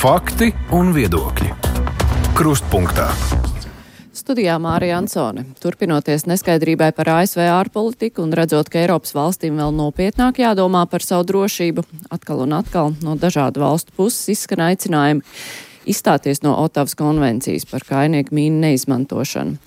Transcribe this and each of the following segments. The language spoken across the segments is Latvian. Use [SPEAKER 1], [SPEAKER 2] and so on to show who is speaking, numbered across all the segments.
[SPEAKER 1] Fakti un viedokļi. Krustpunktā.
[SPEAKER 2] Studijā Mārija Ansone. Turpinoties neskaidrībai par ASV ārpolitiku un redzot, ka Eiropas valstīm vēl nopietnāk jādomā par savu drošību, atkal un atkal no dažādu valstu puses izskan aicinājumi izstāties no Otavas konvencijas par kainieku mīnu neizmantošanu.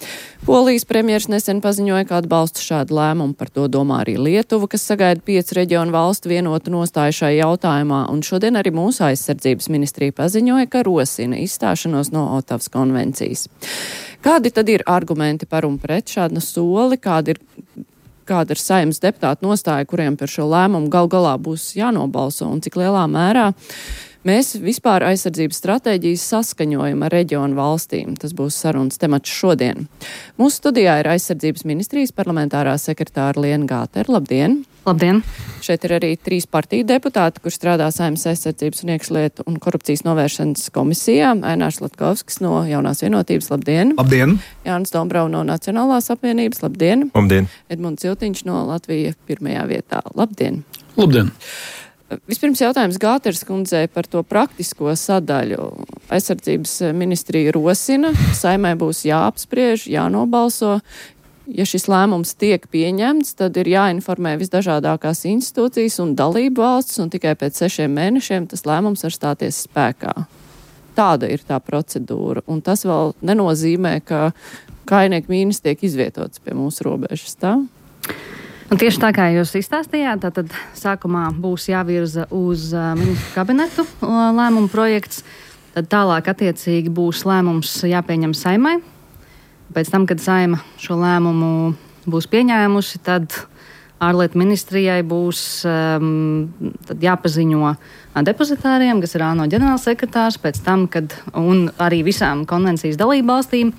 [SPEAKER 2] Polijas premjers nesen paziņoja, ka atbalsta šādu lēmumu, par to domā arī Lietuva, kas sagaida 5 reģionu valstu vienotu nostāju šai jautājumā, un šodien arī mūsu aizsardzības ministrija paziņoja, ka rosina izstāšanos no Otavas konvencijas. Kādi tad ir argumenti par un pret šādu soli, kāda ir Saeimas deputātu nostāja, kuriem par šo lēmumu gal galā būs jānobalso, un cik lielā mērā mēs vispār aizsardzības stratēģijas saskaņojam ar reģionu valstīm. Tas būs sarunas temats šodien. Mūsu studijā ir aizsardzības ministrijas parlamentārā sekretāra Liena Gātera. Labdien!
[SPEAKER 3] Labdien!
[SPEAKER 2] Šeit ir arī 3 partiju deputāti, kur strādā Saeimas aizsardzības un iekšlietu un korupcijas novēršanas komisijā. Ainārs Latkovskis no Jaunās vienotības. Labdien!
[SPEAKER 1] Labdien!
[SPEAKER 2] Jānis Dombrau no Nacionālās apvienības. Labdien!
[SPEAKER 4] Labdien!
[SPEAKER 2] Edmunds Ciltiņš no Latvija pirmajā vietā. Labdien!
[SPEAKER 4] Labdien!
[SPEAKER 2] Vispirms jautājums Gāteras kundzei par to praktisko sadaļu. Aizsardzības ministrija rosina, Saeimai būs jāapspriež, jānobalso. Ja šis lēmums tiek pieņemts, tad ir jāinformē visdažādākās institūcijas un dalību valsts, un tikai pēc 6 mēnešiem tas lēmums var stāties spēkā. Tāda ir tā procedūra, un tas vēl nenozīmē, ka kainieku mīnas tiek izvietotas pie mūsu robežas, tā?
[SPEAKER 3] Un tieši tā kā jūs izstāstījāt, tad sākumā būs jāvirza uz ministru kabinetu lēmumu projekts, tad tālāk attiecīgi būs lēmums jāpieņem Saeimai. Pēc tam, kad Saeima šo lēmumu būs pieņēmusi, tad ārlietu ministrijai būs tad jāpaziņo depozitāriem, kas ir ANO ģenerālsekretārs, pēc tam, un arī visām konvencijas dalībvalstīm.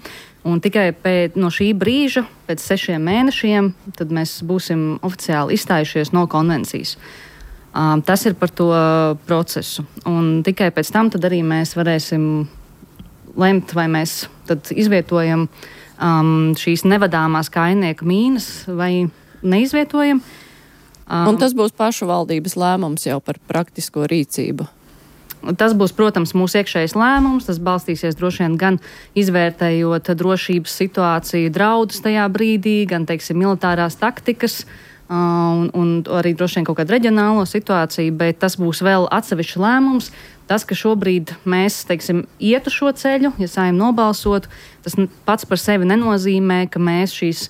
[SPEAKER 3] Un tikai no šī brīža, pēc 6 mēnešiem, tad mēs būsim oficiāli izstājušies no konvencijas. Tas ir par to procesu. Un tikai pēc tam tad arī mēs varēsim lemt, vai mēs tad izvietojam šīs nevadāmās kainieku mīnas vai neizvietojam.
[SPEAKER 2] Un tas būs pašu valdības lēmums jau par praktisko rīcību.
[SPEAKER 3] Tas būs, protams, mūsu iekšējais lēmums. Tas balstīsies droši vien gan izvērtējot drošības situāciju, draudus tajā brīdī, gan, teiksim, militārās taktikas un arī droši vien kaut kādu reģionālo situāciju, bet tas būs vēl atsevišķs lēmums. Tas, ka šobrīd mēs, teiksim, ietu šo ceļu, ja Saeima nobalsotu, tas pats par sevi nenozīmē, ka mēs šīs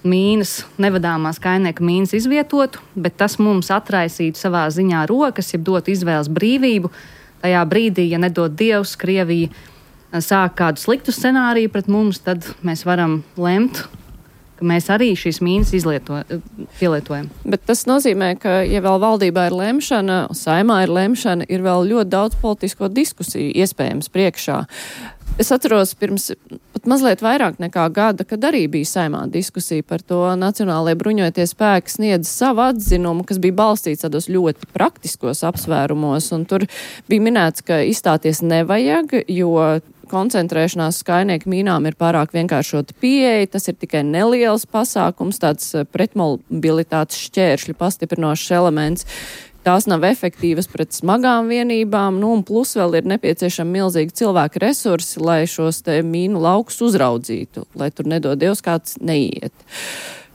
[SPEAKER 3] mīnas, nevadāmās kainieku mīnas izvietotu, bet tas mums atraisītu savā ziņā rokas, ja dotu izvēles brīvību. Tajā brīdī, ja nedod Dievs, Krievija sāk kādu sliktu scenāriju pret mums, tad mēs varam lemt, ka mēs arī šīs mīnas pielietojam.
[SPEAKER 2] Bet tas nozīmē, ka, ja vēl valdībā ir lemšana, Saeimā ir lemšana, ir vēl ļoti daudz politisko diskusiju iespējams priekšā. Es atceros pirms pat mazliet vairāk nekā gada, kad arī bija Saeimā diskusija par to, Nacionālajie bruņotie spēki sniedz savu atzinumu, kas bija balstīts tādos ļoti praktiskos apsvērumos, un tur bija minēts, ka izstāties nevajag, jo koncentrēšanās uz kainieku mīnām ir pārāk vienkāršota pieeja, tas ir tikai neliels pasākums, tāds pretmobilitātes šķēršļu pastiprinošs elements. Tās nav efektīvas pret smagām vienībām, un plus vēl ir nepieciešami milzīgi cilvēku resursi, lai šos te mīnu laukus uzraudzītu, lai tur nedod Dievs kāds neiet.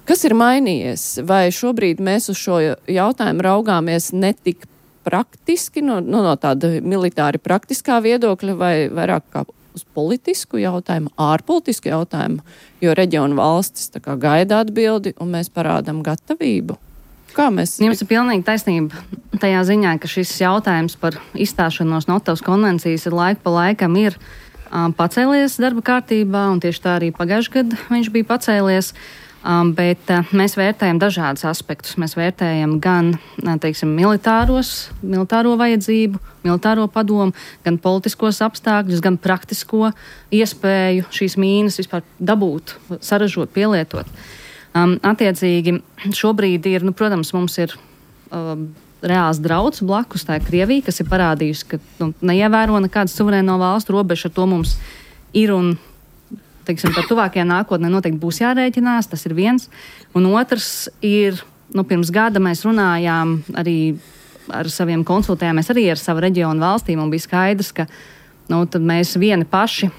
[SPEAKER 2] Kas ir mainījies? Vai šobrīd mēs uz šo jautājumu raugāmies ne tik praktiski, no tāda militāri praktiskā viedokļa, vai vairāk kā uz politisku jautājumu, ārpolitisku jautājumu, jo reģionu valstis tā kā gaida atbildi, un mēs parādam gatavību?
[SPEAKER 3] Jums ir pilnīgi taisnība tajā ziņā, ka šis jautājums par izstāšanos no Otavas konvencijas laiku pa laikam ir pacēlies darba kārtībā, un tieši tā arī pagājušajā gadā viņš bija pacēlies. Bet mēs vērtējam dažādus aspektus. Mēs vērtējam gan, teiksim, militāro vajadzību, militāro padomu, gan politiskos apstākļus, gan praktisko iespēju šīs mīnas vispār dabūt, saražot, pielietot. Attiecīgi, šobrīd ir, protams, mums ir reāls drauds blakus, tā ir Krievija, kas ir parādījusi, ka neievēro nekādas suverēno valstu robežu, ar to mums ir un, teiksim, par tuvākajā nākotnē noteikti būs jārēķinās, tas ir viens. Un otrs ir, pirms gada mēs runājām arī ar saviem konsultējāmies arī ar savu reģionu valstīm un bija skaidrs, ka tad mēs vieni paši,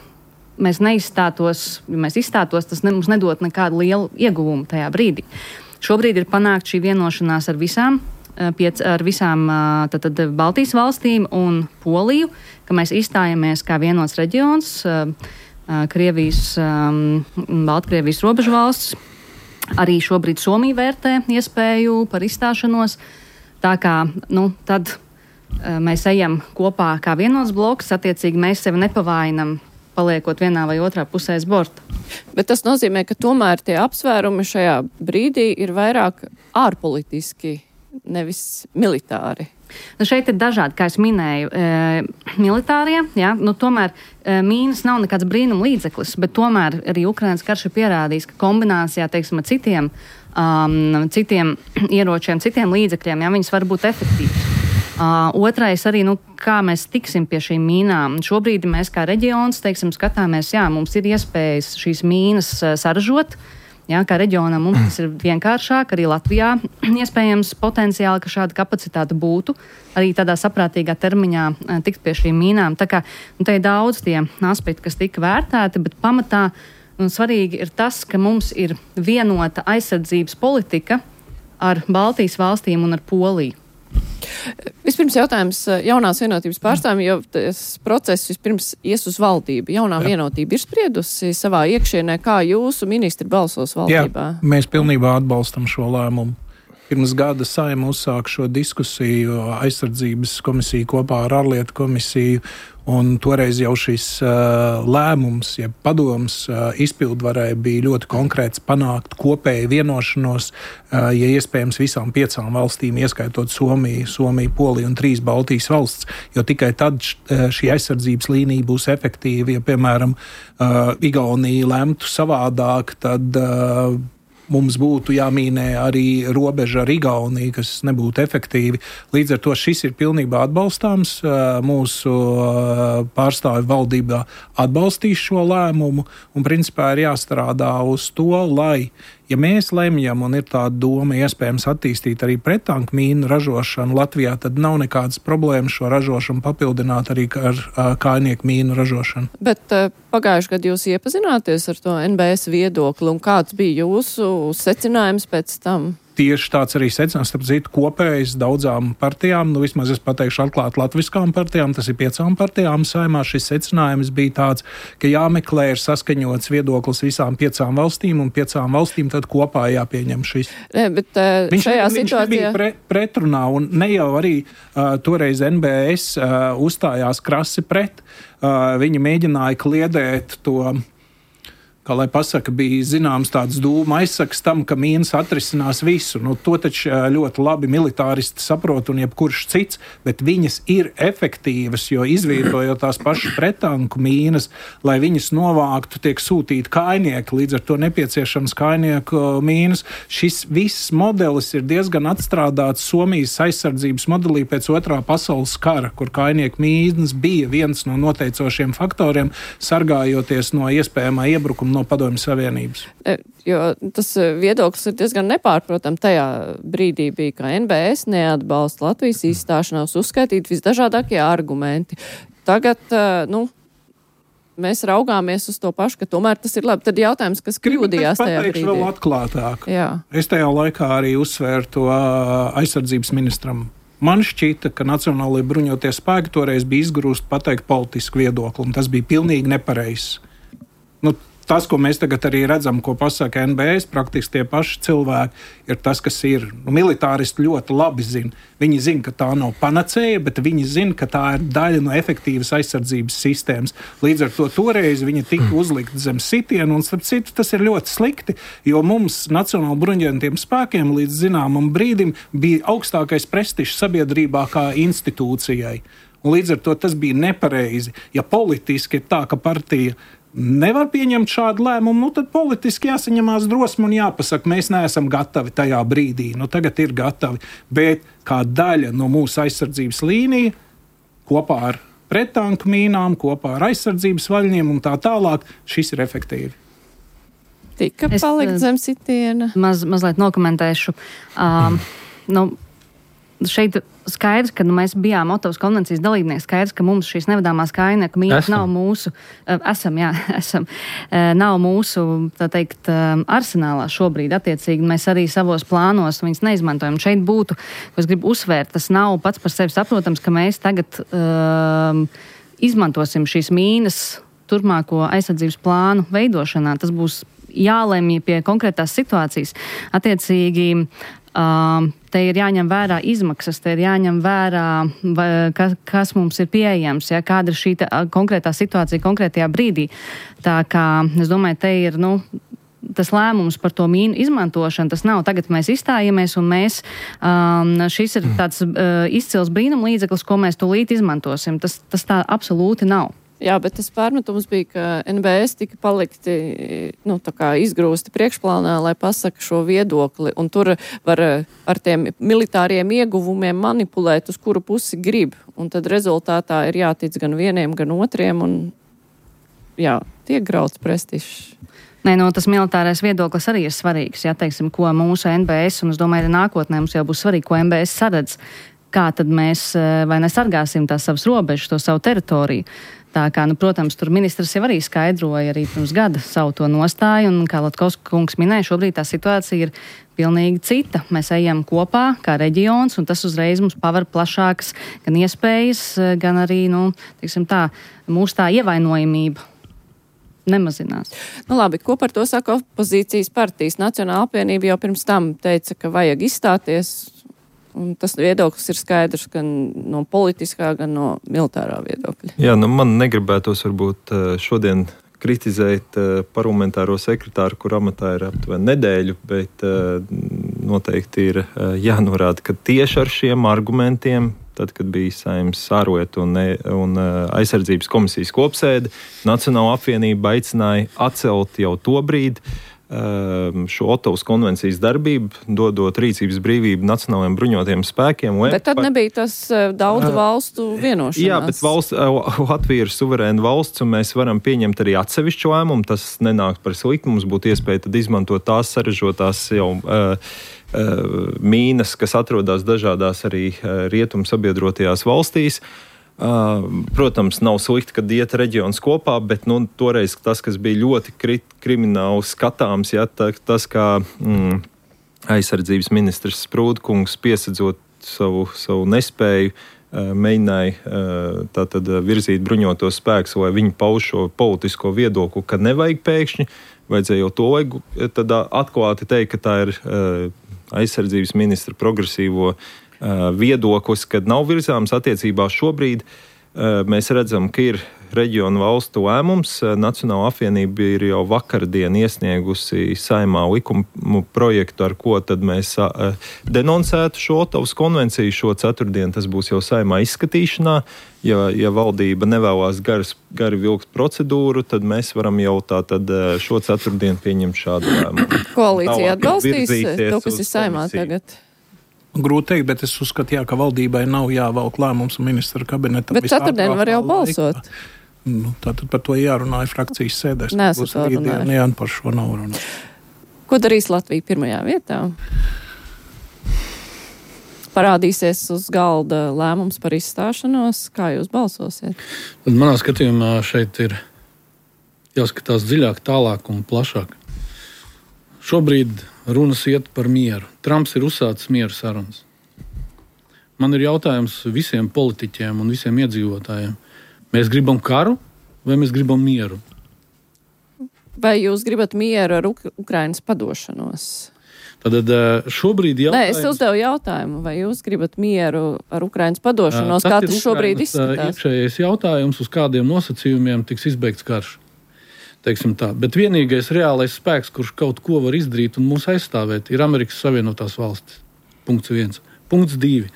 [SPEAKER 3] mēs neizstātos, ja mēs izstātos, tas mums nedot nekādu lielu ieguvumu tajā brīdī. Šobrīd ir panākt šī vienošanās ar visām tad Baltijas valstīm un Poliju, ka mēs izstājamies kā vienots reģions, Krievijas, Baltkrievijas robežu valsts. Arī šobrīd Somija vērtē iespēju par izstāšanos. Tā kā, tad mēs ejam kopā kā vienots bloks, attiecīgi mēs sevi nepavainam, paliekot vienā vai otrā pusē uz borta.
[SPEAKER 2] Bet tas nozīmē, ka tomēr tie apsvērumi šajā brīdī ir vairāk ārpolitiski, nevis militāri.
[SPEAKER 3] Šeit ir dažādi, kā es minēju, militārie, tomēr mīnas nav nekāds brīnum līdzeklis, bet tomēr arī Ukrainas karš ir pierādījis, ka kombinācijā, teiksim, ar citiem ieročiem, citiem līdzekļiem, viņas var būt efektīvas. Otrais arī, kā mēs tiksim pie šīm mīnām. Šobrīd mēs kā reģions, teiksim, skatāmies, mums ir iespējas šīs mīnas saražot. Kā reģionam mums tas ir vienkāršāk, arī Latvijā iespējams potenciāli, ka šāda kapacitāte būtu, arī tādā saprātīgā termiņā tikt pie šīm mīnām. Tā kā te ir daudz tie aspekti, kas tika vērtēti, bet pamatā svarīgi ir tas, ka mums ir vienota aizsardzības politika ar Baltijas valstīm un ar Poliju.
[SPEAKER 2] Vispirms jautājums jaunās vienotības pārstāvjiem, jo tas process vispirms ies uz valdību. Jaunā vienotība ir spriedusi savā iekšienē, kā jūsu ministri balsos valdībā?
[SPEAKER 4] Jā, mēs pilnībā atbalstam šo lēmumu. Pirms gada Saeima uzsāka šo diskusiju aizsardzības komisiju kopā ar ārlietu komisiju, un toreiz jau šis lēmums, ja padoms izpildvarē bija ļoti konkrēts panākt kopēju vienošanos, ja iespējams visām 5 valstīm, ieskaitot Somiju, Poliju un 3 Baltijas valsts, jo tikai tad šī aizsardzības līnija būs efektīva. Ja, piemēram, Igaunija lemtu savādāk, tad mums būtu jāmīnē arī robeža ar Igauniju, kas nebūtu efektīvi. Līdz ar to šis ir pilnībā atbalstāms. Mūsu pārstāvi valdībā atbalstīs šo lēmumu un principā ir jāstrādā uz to, lai, ja mēs lemjam un ir tāda doma iespējams attīstīt arī prettanku mīnu ražošanu Latvijā, tad nav nekādas problēmas šo ražošanu papildināt arī ar kājnieku mīnu ražošanu.
[SPEAKER 2] Bet pagājuši gadu jūs iepazināties ar to NBS viedokli un kāds bija jūsu secinājums pēc tam?
[SPEAKER 4] Tieši tāds arī secinājums, starp citu, kopējs daudzām partijām, vismaz es pateikšu atklāt latviskām partijām, tas ir 5 partijām Saeimā. Šis secinājums bija tāds, ka jāmeklē ir saskaņots viedoklis visām 5 valstīm un 5 valstīm tad kopā jāpieņem šis.
[SPEAKER 2] Bet šajā situācijā...
[SPEAKER 4] Viņš nebija pretrunā un ne jau arī toreiz NBS uzstājās krasi pret. Viņi mēģināja kliedēt to... Kā lai pasaka, bija zināms tāds dūma aizsaks tam, ka mīnas atrisinās visu. To taču ļoti labi militāristi saprot un jebkurš cits, bet viņas ir efektīvas, jo izvietojot tās pašas prettanku mīnas, lai viņas novāktu, tiek sūtīti kājnieki, līdz ar to nepieciešams kājnieku mīnas. Šis viss modelis ir diezgan atstrādāts Somijas aizsardzības modelī pēc 2. pasaules kara, kur kājnieku mīnas bija viens no noteicošiem faktoriem, sargājoties no iespējamā iebrukuma no Padomju Savienības.
[SPEAKER 2] Jo tas viedoklis ir diezgan nepārprotams. Tajā brīdī bija, ka NBS neatbalsta Latvijas izstāšanos, uzskaitīt visdažādākie argumenti. Tagad, mēs raugāmies uz to pašu, ka tomēr tas ir labi. Tad jautājums, kas kļūdījās tajā brīdī.
[SPEAKER 4] Vēl atklātāk.
[SPEAKER 2] Jā.
[SPEAKER 4] Es tajā laikā arī uzsvēru to aizsardzības ministram. Man šķita, ka Nacionālajie bruņotie spēki toreiz bija izgrūsti pateikt politisku viedokli, un tas bija pilnīgi nepareizs. Tas, ko mēs tagad arī redzam, ko pasaka NBS, praktiski tie paši cilvēki, ir tas, kas ir. Militāristi ļoti labi zina. Viņi zina, ka tā nav panacēja, bet viņi zina, ka tā ir daļa no efektīvas aizsardzības sistēmas. Līdz ar to toreiz viņi tika uzlikti zem sitienu, un starp citu tas ir ļoti slikti, jo mums Nacionāli bruņotajiem spēkiem līdz zināmam brīdim bija augstākais prestižs sabiedrībā kā institūcijai. Un līdz ar to tas bija nepareizi. Ja politiski ir tā, ka partija nevar pieņemt šādu lēmumu, tad politiski jāsaņemās drosme un jāpasaka, mēs neesam gatavi tajā brīdī. Tagad ir gatavi, bet kā daļa no mūsu aizsardzības līnija, kopā ar prettanku mīnām, kopā ar aizsardzības vaļņiem un tā tālāk, šis ir efektīvi.
[SPEAKER 2] Tika palikt zem sitiena.
[SPEAKER 3] Mazliet nokomentēšu. šeit skaidrs, ka mēs bijām Otavas konvencijas dalībnieki, skaidrs, ka mums šīs nevadāmās kājnieku mīnas nav mūsu, nav mūsu, tā teikt, arsenālā šobrīd attiecīgi. Mēs arī savos plānos viņas neizmantojam. Šeit būtu, ko es gribu uzsvērt, tas nav pats par sevi saprotams, ka mēs tagad izmantosim šīs mīnas turpmāko aizsardzības plānu veidošanā. Tas būs jālemj pie konkrētās situācijas. Attiecīgi, te ir jāņem vērā izmaksas, te ir jāņem vērā, kas mums ir pieejams, ja, kāda ir šī konkrētā situācija konkrētajā brīdī. Tā kā, es domāju, te ir, tas lēmums par to mīnu izmantošanu, tas nav tagad mēs izstājamies un mēs, šis ir tāds izcils brīnumlīdzeklis, ko mēs tūlīt izmantosim. Tas tā absolūti nav.
[SPEAKER 2] Jā, bet tas pārmetums bija, ka NBS tika palikti, tā kā izgrūsti priekšplānā, lai pasaka šo viedokli, un tur var ar tiem militāriem ieguvumiem manipulēt, uz kuru pusi grib, un tad rezultātā ir jātic gan vieniem, gan otriem, un tiek grauts prestižs.
[SPEAKER 3] Nē, tas militārais viedoklis arī ir svarīgs, teiksim, ko mūsu NBS, un es domāju, arī nākotnē mums jau būs svarīgi, ko NBS saredz, kā tad mēs vai nesargāsim tās savas robežas, to savu teritoriju. Tā kā, protams, tur ministrs jau arī skaidroja arī pirms gada savu to nostāju, un kā Latkovska kungs minēja, šobrīd tā situācija ir pilnīgi cita. Mēs ejam kopā kā reģions, un tas uzreiz mums paver plašākas gan iespējas, gan arī, mūsu tā ievainojamība nemazinās.
[SPEAKER 2] Labi, ko par to saka opozīcijas partijas? Nacionāla apvienība jau pirms tam teica, ka vajag izstāties. Un tas viedoklis ir skaidrs gan no politiskā, gan no militārā viedokļa.
[SPEAKER 5] Jā, man negribētos varbūt šodien kritizēt parlamentāro sekretāru, kur amatā ir aptuveni nedēļu, bet noteikti ir jānorāda, ka tieši ar šiem argumentiem, tad, kad bija Saeimas ārlietu un aizsardzības komisijas kopsēde, Nacionāla apvienība aicināja atcelt jau to brīdi šo Otavas konvencijas darbību, dodot rīcības brīvību nacionālajiem bruņotajiem spēkiem.
[SPEAKER 2] Bet tad nebija tas daudzu valstu vienošanās.
[SPEAKER 5] Jā, bet Latvija ir suverēna valsts, un mēs varam pieņemt arī atsevišķu lēmumu. Tas nenāk par sliktu. Mums būtu iespēja tad izmantot tās sarežotās jau mīnas, kas atrodas dažādās arī rietumu sabiedrotajās valstīs. Protams, nav slikti, kad iet reģions kopā, bet toreiz tas, kas bija ļoti krimināli skatāms, tas, kā aizsardzības ministrs Sprūdkungs piesedzot savu nespēju, mēģināja tātad virzīt bruņotos spēkus, lai viņi pauž šo politisko viedokli, ka nevajag pēkšņi, vajadzēja jau to tad atklāti teikt, ka tā ir aizsardzības ministra progresīvo viedoklis, kad nav virzāms attiecībā šobrīd. Mēs redzam, ka ir reģionu valstu lēmums. Nacionāla apvienība ir jau vakardien iesniegusi Saeimā likumu projektu, ar ko tad mēs denoncētu šo Otavas konvenciju. Šo ceturtdienu tas būs jau Saeimā izskatīšanā. Ja valdība nevēlās gari vilkt procedūru, tad mēs varam jau tātad šo ceturtdienu pieņemt šādu lēmumu.
[SPEAKER 2] Koalīcija atbalstīs to, kas ir Saeimā tagad?
[SPEAKER 4] Grūti teikt, bet es uzskatu, ka valdībai nav jāvelk lēmums un ministra kabinetam.
[SPEAKER 2] Bet ceturtdien var jau balsot.
[SPEAKER 4] Tātad par to jārunā frakcijas sēdēs.
[SPEAKER 2] Nesat vēl runājuši.
[SPEAKER 4] Jā, par šo nav runāt.
[SPEAKER 2] Ko darīs Latvija pirmajā vietā? Parādīsies uz galda lēmums par izstāšanos. Kā jūs balsosiet?
[SPEAKER 6] Manā skatījumā šeit ir jāskatās dziļāk, tālāk un plašāk. Šobrīd runas iet par mieru. Trumps ir uzsācis mieru sarunas. Man ir jautājums visiem politiķiem un visiem iedzīvotājiem. Mēs gribam karu vai mēs gribam mieru?
[SPEAKER 2] Vai jūs gribat mieru ar Ukrainas padošanos?
[SPEAKER 6] Tad šobrīd jautājums...
[SPEAKER 2] Nē, es uzdevu jautājumu, vai jūs gribat mieru ar Ukrainas padošanos, kā tas šobrīd izskatās?
[SPEAKER 6] Iekšējais jautājums, uz kādiem nosacījumiem tiks izbeigts karš. Teiksim tā. Bet vienīgais reālais spēks, kurš kaut ko var izdarīt un mūs aizstāvēt, ir Amerikas Savienotās valstis. Punkts 1. Punkts 2.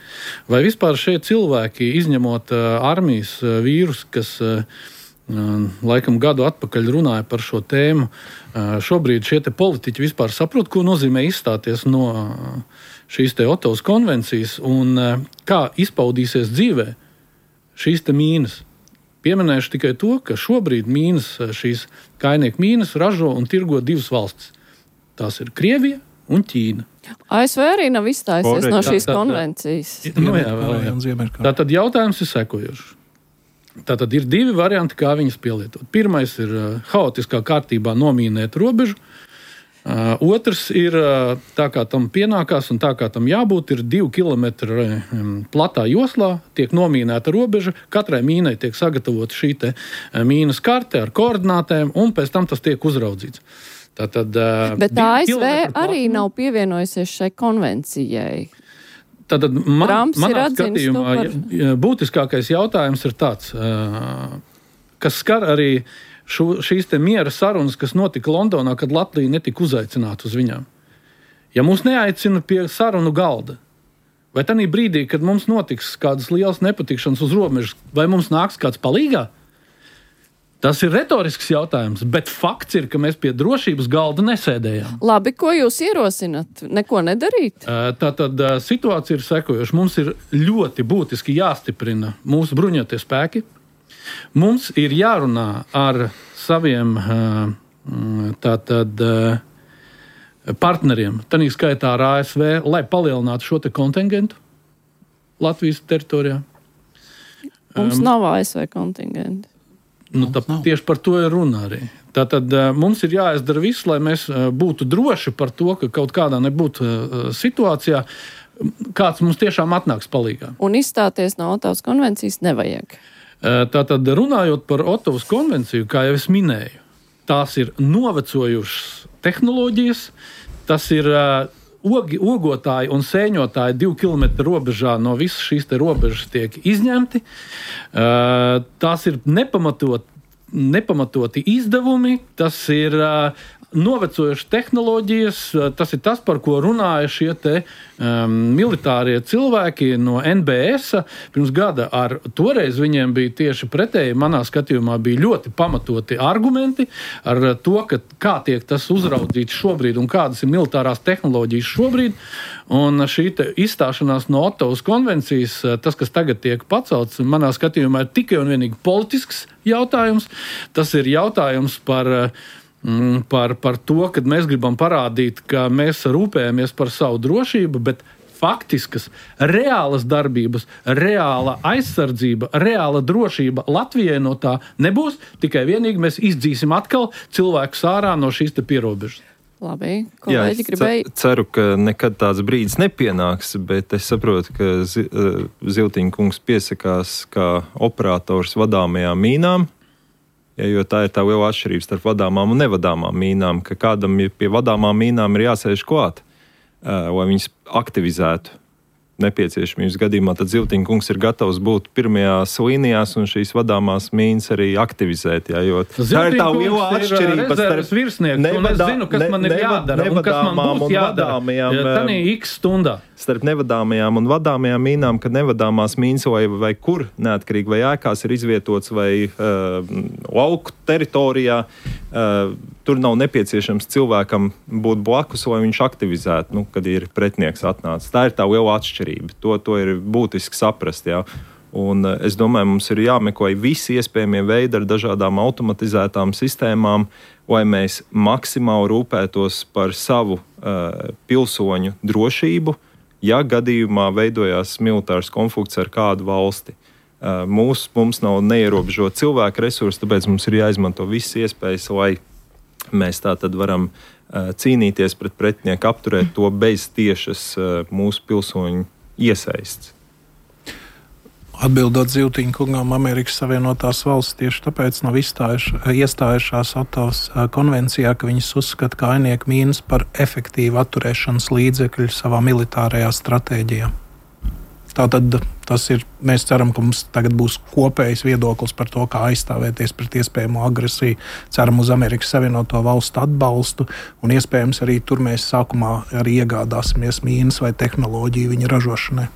[SPEAKER 6] Vai vispār šie cilvēki, izņemot armijas vīrus, kas laikam gadu atpakaļ runāja par šo tēmu, šobrīd šie te politiķi vispār saprot, ko nozīmē izstāties no šīs te Otavas konvencijas un kā izpaudīsies dzīvē šīs te mīnas. Pieminēšu tikai to, ka šobrīd šīs kājnieku mīnas ražo un tirgo divas valstis. Tās ir Krievija un Ķīna.
[SPEAKER 2] ASV arī nav izstājusies no šīs konvencijas.
[SPEAKER 6] Tātad jautājums ir sekojošs. Tātad ir divi varianti, kā viņas pielietot. Pirmais ir haotiskā kārtībā nomīnēt robežu. Otrs ir tā, kā tam pienākās un tā, kā tam jābūt, ir 2 kilometri platā joslā, tiek nomīnēta robeža, katrai mīnai tiek sagatavota šī te mīnas karte ar koordinātēm, un pēc tam tas tiek uzraudzīts. Tātad,
[SPEAKER 2] bet ASV arī nav pievienojusies šai konvencijai.
[SPEAKER 6] Tātad manā skatījumā būtiskākais jautājums ir tāds, kas skar arī šīs te miera sarunas, kas notika Londonā, kad Latvija netika uzaicināta uz viņām. Ja mūs neaicina pie sarunu galda, vai tanī brīdī, kad mums notiks kādas lielas nepatikšanas uz robežas, vai mums nāks kāds palīgā? Tas ir retorisks jautājums, bet fakts ir, ka mēs pie drošības galda nesēdējām.
[SPEAKER 2] Labi, ko jūs ierosinat? Neko nedarīt?
[SPEAKER 6] Tātad situācija ir sekojoša. Mums ir ļoti būtiski jāstiprina mūsu bruņotie spēki. Mums ir jārunā ar saviem partneriem, tanī skaitā ar ASV, lai palielinātu šo te kontingentu Latvijas teritorijā.
[SPEAKER 2] Mums nav ASV kontingenti.
[SPEAKER 6] Tieši par to ir runa arī. Tātad mums ir jāizdara viss, lai mēs būtu droši par to, ka kaut kādā nebūtu situācijā, kāds mums tiešām atnāks palīgā.
[SPEAKER 2] Un izstāties no Otavas konvencijas nevajag.
[SPEAKER 6] Tātad runājot par Otavas konvenciju, kā jau es minēju, tās ir novecojušas tehnoloģijas, tas ir ogotāji un sēņotāji 2 kilometru robežā no visas šīs te robežas tiek izņemti. Tās ir nepamatoti izdevumi, tas ir novecojušas tehnoloģijas, tas ir tas, par ko runāja šie te militārie cilvēki no NBS pirms gada. Toreiz viņiem bija tieši pretēji, manā skatījumā bija ļoti pamatoti argumenti ar to, kā tiek tas uzraudzīts šobrīd un kādas ir militārās tehnoloģijas šobrīd. Un šī izstāšanās no Otavas konvencijas, tas, kas tagad tiek pacelts, manā skatījumā ir tikai un vienīgi politisks jautājums. Tas ir jautājums par to, kad mēs gribam parādīt, ka mēs rūpējamies par savu drošību, bet faktiskas, reālas darbības, reāla aizsardzība, reāla drošība Latvijai no tā nebūs, tikai vienīgi mēs izdzīsim atkal cilvēkus ārā no šīs te pierobežas.
[SPEAKER 2] Labi, kolēģi gribēja.
[SPEAKER 5] Ceru, ka nekad tāds brīdis nepienāks, bet es saprotu, ka Ziltiņa kungs piesakās kā operators vadāmajām mīnām. Jo tā ir tā liela atšķirība starp vadāmām un nevadāmām mīnām, ka kādam pie vadāmām mīnām ir jāsēž klāt, lai viņas aktivizētu nepieciešamības gadījumā. Tad Ziltiņa kungs ir gatavs būt pirmajās līnijās un šīs vadāmās mīnas arī aktivizēt. Jo tā ir tā liela atšķirība starp
[SPEAKER 6] virsnieku, un es zinu, kas man ir jādara un kas man būs jādara tanī x stundā.
[SPEAKER 5] Starp nevadāmajām un vadāmajām mīnām, kad nevadāmās mīnas vai kur neatkarīgi vai ēkās ir izvietots vai lauku teritorijā, tur nav nepieciešams cilvēkam būt blakus, lai viņš aktivizētu, kad ir pretinieks atnācis. Tā ir tā liela atšķirība. To ir būtiski saprast. Jā. Un es domāju, mums ir jāmeklē visi iespējamie veidi ar dažādām automatizētām sistēmām, lai mēs maksimāli rūpētos par savu pilsoņu drošību, ja gadījumā veidojās militārs konflikts ar kādu valsti. Mums nav neierobežot cilvēku resursi, tāpēc mums ir jāizmanto visas iespējas, lai mēs tā tad varam cīnīties pret pretinieku, apturēt to bez tiešas mūsu pilsoņu iesaists.
[SPEAKER 4] Atbildot Ziltiņa kungam, Amerikas Savienotās valsts tieši tāpēc nav iestājušās Otavas konvencijā, ka viņas uzskata kainieku mīnas par efektīvu atturēšanas līdzekļu savā militārajā stratēģijā. Tātad tas ir, mēs ceram, ka mums tagad būs kopējs viedoklis par to, kā aizstāvēties pret iespējamo agresiju. Ceram uz Amerikas Savienoto valstu atbalstu un iespējams arī tur mēs sākumā arī iegādāsimies mīnas vai tehnoloģiju viņa ražošanai.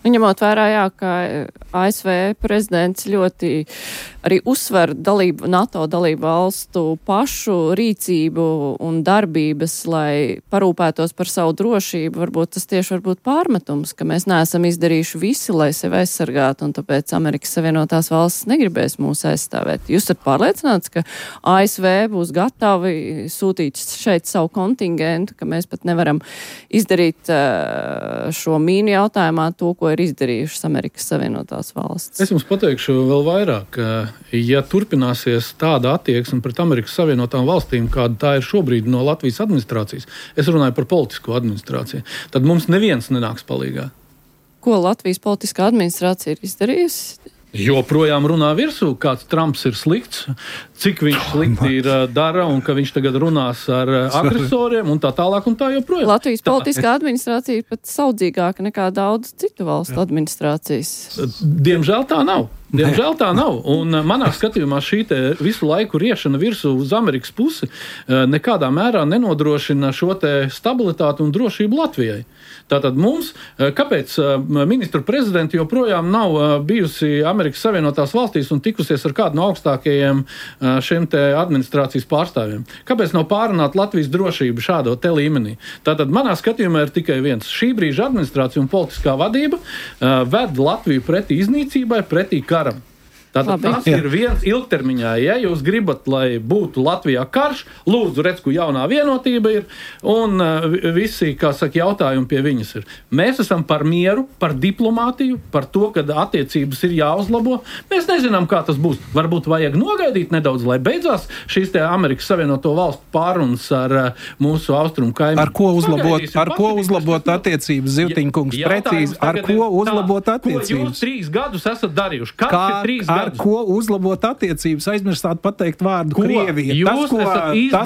[SPEAKER 2] Ņemot vērā, ka ASV prezidents ļoti arī uzsver NATO dalību valstu pašu rīcību un darbības, lai parūpētos par savu drošību, varbūt tas tieši varbūt pārmetums, ka mēs neesam izdarījuši visi, lai sevi aizsargāt, un tāpēc Amerikas Savienotās valstis negribēs mūs aizstāvēt. Jūs esat pārliecināts, ka ASV būs gatavi sūtīt šeit savu kontingentu, ka mēs pat nevaram izdarīt šo mīnu jautājumā to, ko ir izdarījušas Amerikas Savienotās valstis?
[SPEAKER 6] Es jums pateikšu vēl vairāk, ja turpināsies tāda attieksme pret Amerikas Savienotām valstīm, kāda tā ir šobrīd no Latvijas administrācijas, es runāju par politisko administrāciju, tad mums neviens nenāks palīgā.
[SPEAKER 2] Ko Latvijas politiskā administrācija ir izdarījusi?
[SPEAKER 6] Joprojām runā virsū, kāds Trumps ir slikts, cik viņš slikti ir dara un ka viņš tagad runās ar agresoriem un tā tālāk un tā joprojām.
[SPEAKER 2] Latvijas politiskā administrācija ir pat saudzīgāka nekā daudz citu valstu administrācijas.
[SPEAKER 6] Diemžēl tā nav. Diemžēl tā nav. Un manā skatījumā šī te visu laiku riešana virsū uz Amerikas pusi nekādā mērā nenodrošina šo te stabilitāti un drošību Latvijai. Tātad mums, kāpēc ministru prezidenti joprojām nav bijusi Amerikas Savienotās valstīs un tikusies ar kādu no augstākajiem šiem te administrācijas pārstāvjiem? Kāpēc nav pārunāt Latvijas drošību šādo te līmenī? Tātad manā skatījumā ir tikai viens. Šī brīža administrācija un politiskā vadība ved Latviju pretī iznīcībai, pretī karam. Tātad tas ir viens ilgtermiņā. Ja jūs gribat, lai būtu Latvijā karš, lūdzu, redz, ko jaunā vienotība ir, un visi, kā saka, jautājumi pie viņas ir. Mēs esam par mieru, par diplomātiju, par to, ka attiecības ir jāuzlabo. Mēs nezinām, kā tas būs. Varbūt vajag nogaidīt nedaudz, lai beidzās šīs te Amerikas Savienoto valstu pārunas ar mūsu austrumu kaimiņu.
[SPEAKER 4] Ar ko uzlabot attiecības, Zivtiņkungs? Precīzi, ar ko uzlabot attiecības?
[SPEAKER 6] Ko jūs 3 gadus esat darījuši? Kas ir 3 gadus?
[SPEAKER 4] Ar ko uzlabot attiecības? Aizmirstāt pateikt vārdu Krievija. Tas,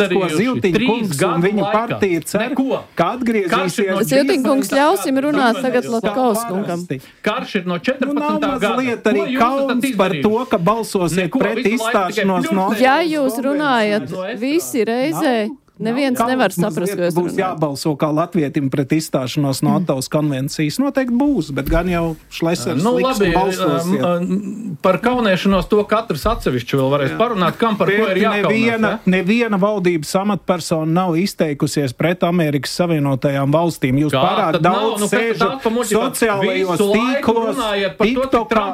[SPEAKER 4] ko Zivtiņkungs un viņa partija cer, ka atgriezīsies.
[SPEAKER 2] Zivtiņkungs, ļausim runāt tagad Latkovskungam.
[SPEAKER 6] Karš ir no 14. gada.
[SPEAKER 4] Mazliet arī kauns par to, ka balsosiet pret izstāšanos no...
[SPEAKER 2] Ja jūs runājat visi reizē, neviens nevar saprast, ko es
[SPEAKER 4] būs jābalso kā latvietim pret izstāšanos no Ottavas konvencijas. Noteikti būs, bet gan jau Šlesers liks un balsosiet.
[SPEAKER 6] Par kaunēšanos to katrs atsevišķi vēl varēs parunāt, kam par ko ir jākaunās.
[SPEAKER 4] Neviena valdības amatpersona nav izteikusies pret Amerikas Savienotajām valstīm. Jūs pārāk daudz sēžat sociālajos tīklos, TikTokā.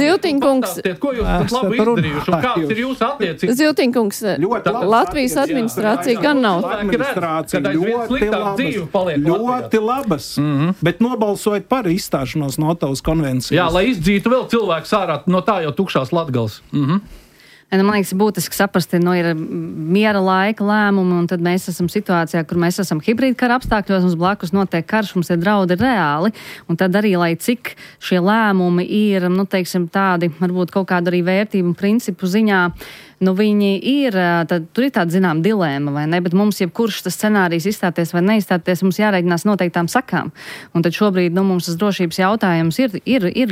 [SPEAKER 2] Zivtiņkungs,
[SPEAKER 6] ko jūs pat labi izdarījuši un kāds ir jūsu attiecības?
[SPEAKER 2] Zivtiņkungs, Latvijas administrācija gan nav.
[SPEAKER 4] Ļoti labas, bet nobalsojiet par izstāšanos no Ottavas konvencijas.
[SPEAKER 6] Jā, lai izdzītu vēl cilvēks ārā no tā jau tukšās Latgales.
[SPEAKER 3] Man liekas, būtiski saprast, ir miera laika lēmumi, un tad mēs esam situācijā, kur mēs esam hibrīda kara apstākļos, mums blakus notiek karš, mums ir draudi reāli, un tad arī, lai cik šie lēmumi ir, tādi, varbūt kaut kāda arī vērtību un principu ziņā, viņi ir, tad tur ir tāda, zinām, dilēma, vai ne, bet mums jebkurš tas scenārijs izstāties vai neizstāties, mums jārēģinās noteiktām sakām. Un tad šobrīd, mums tas drošības jautājums ir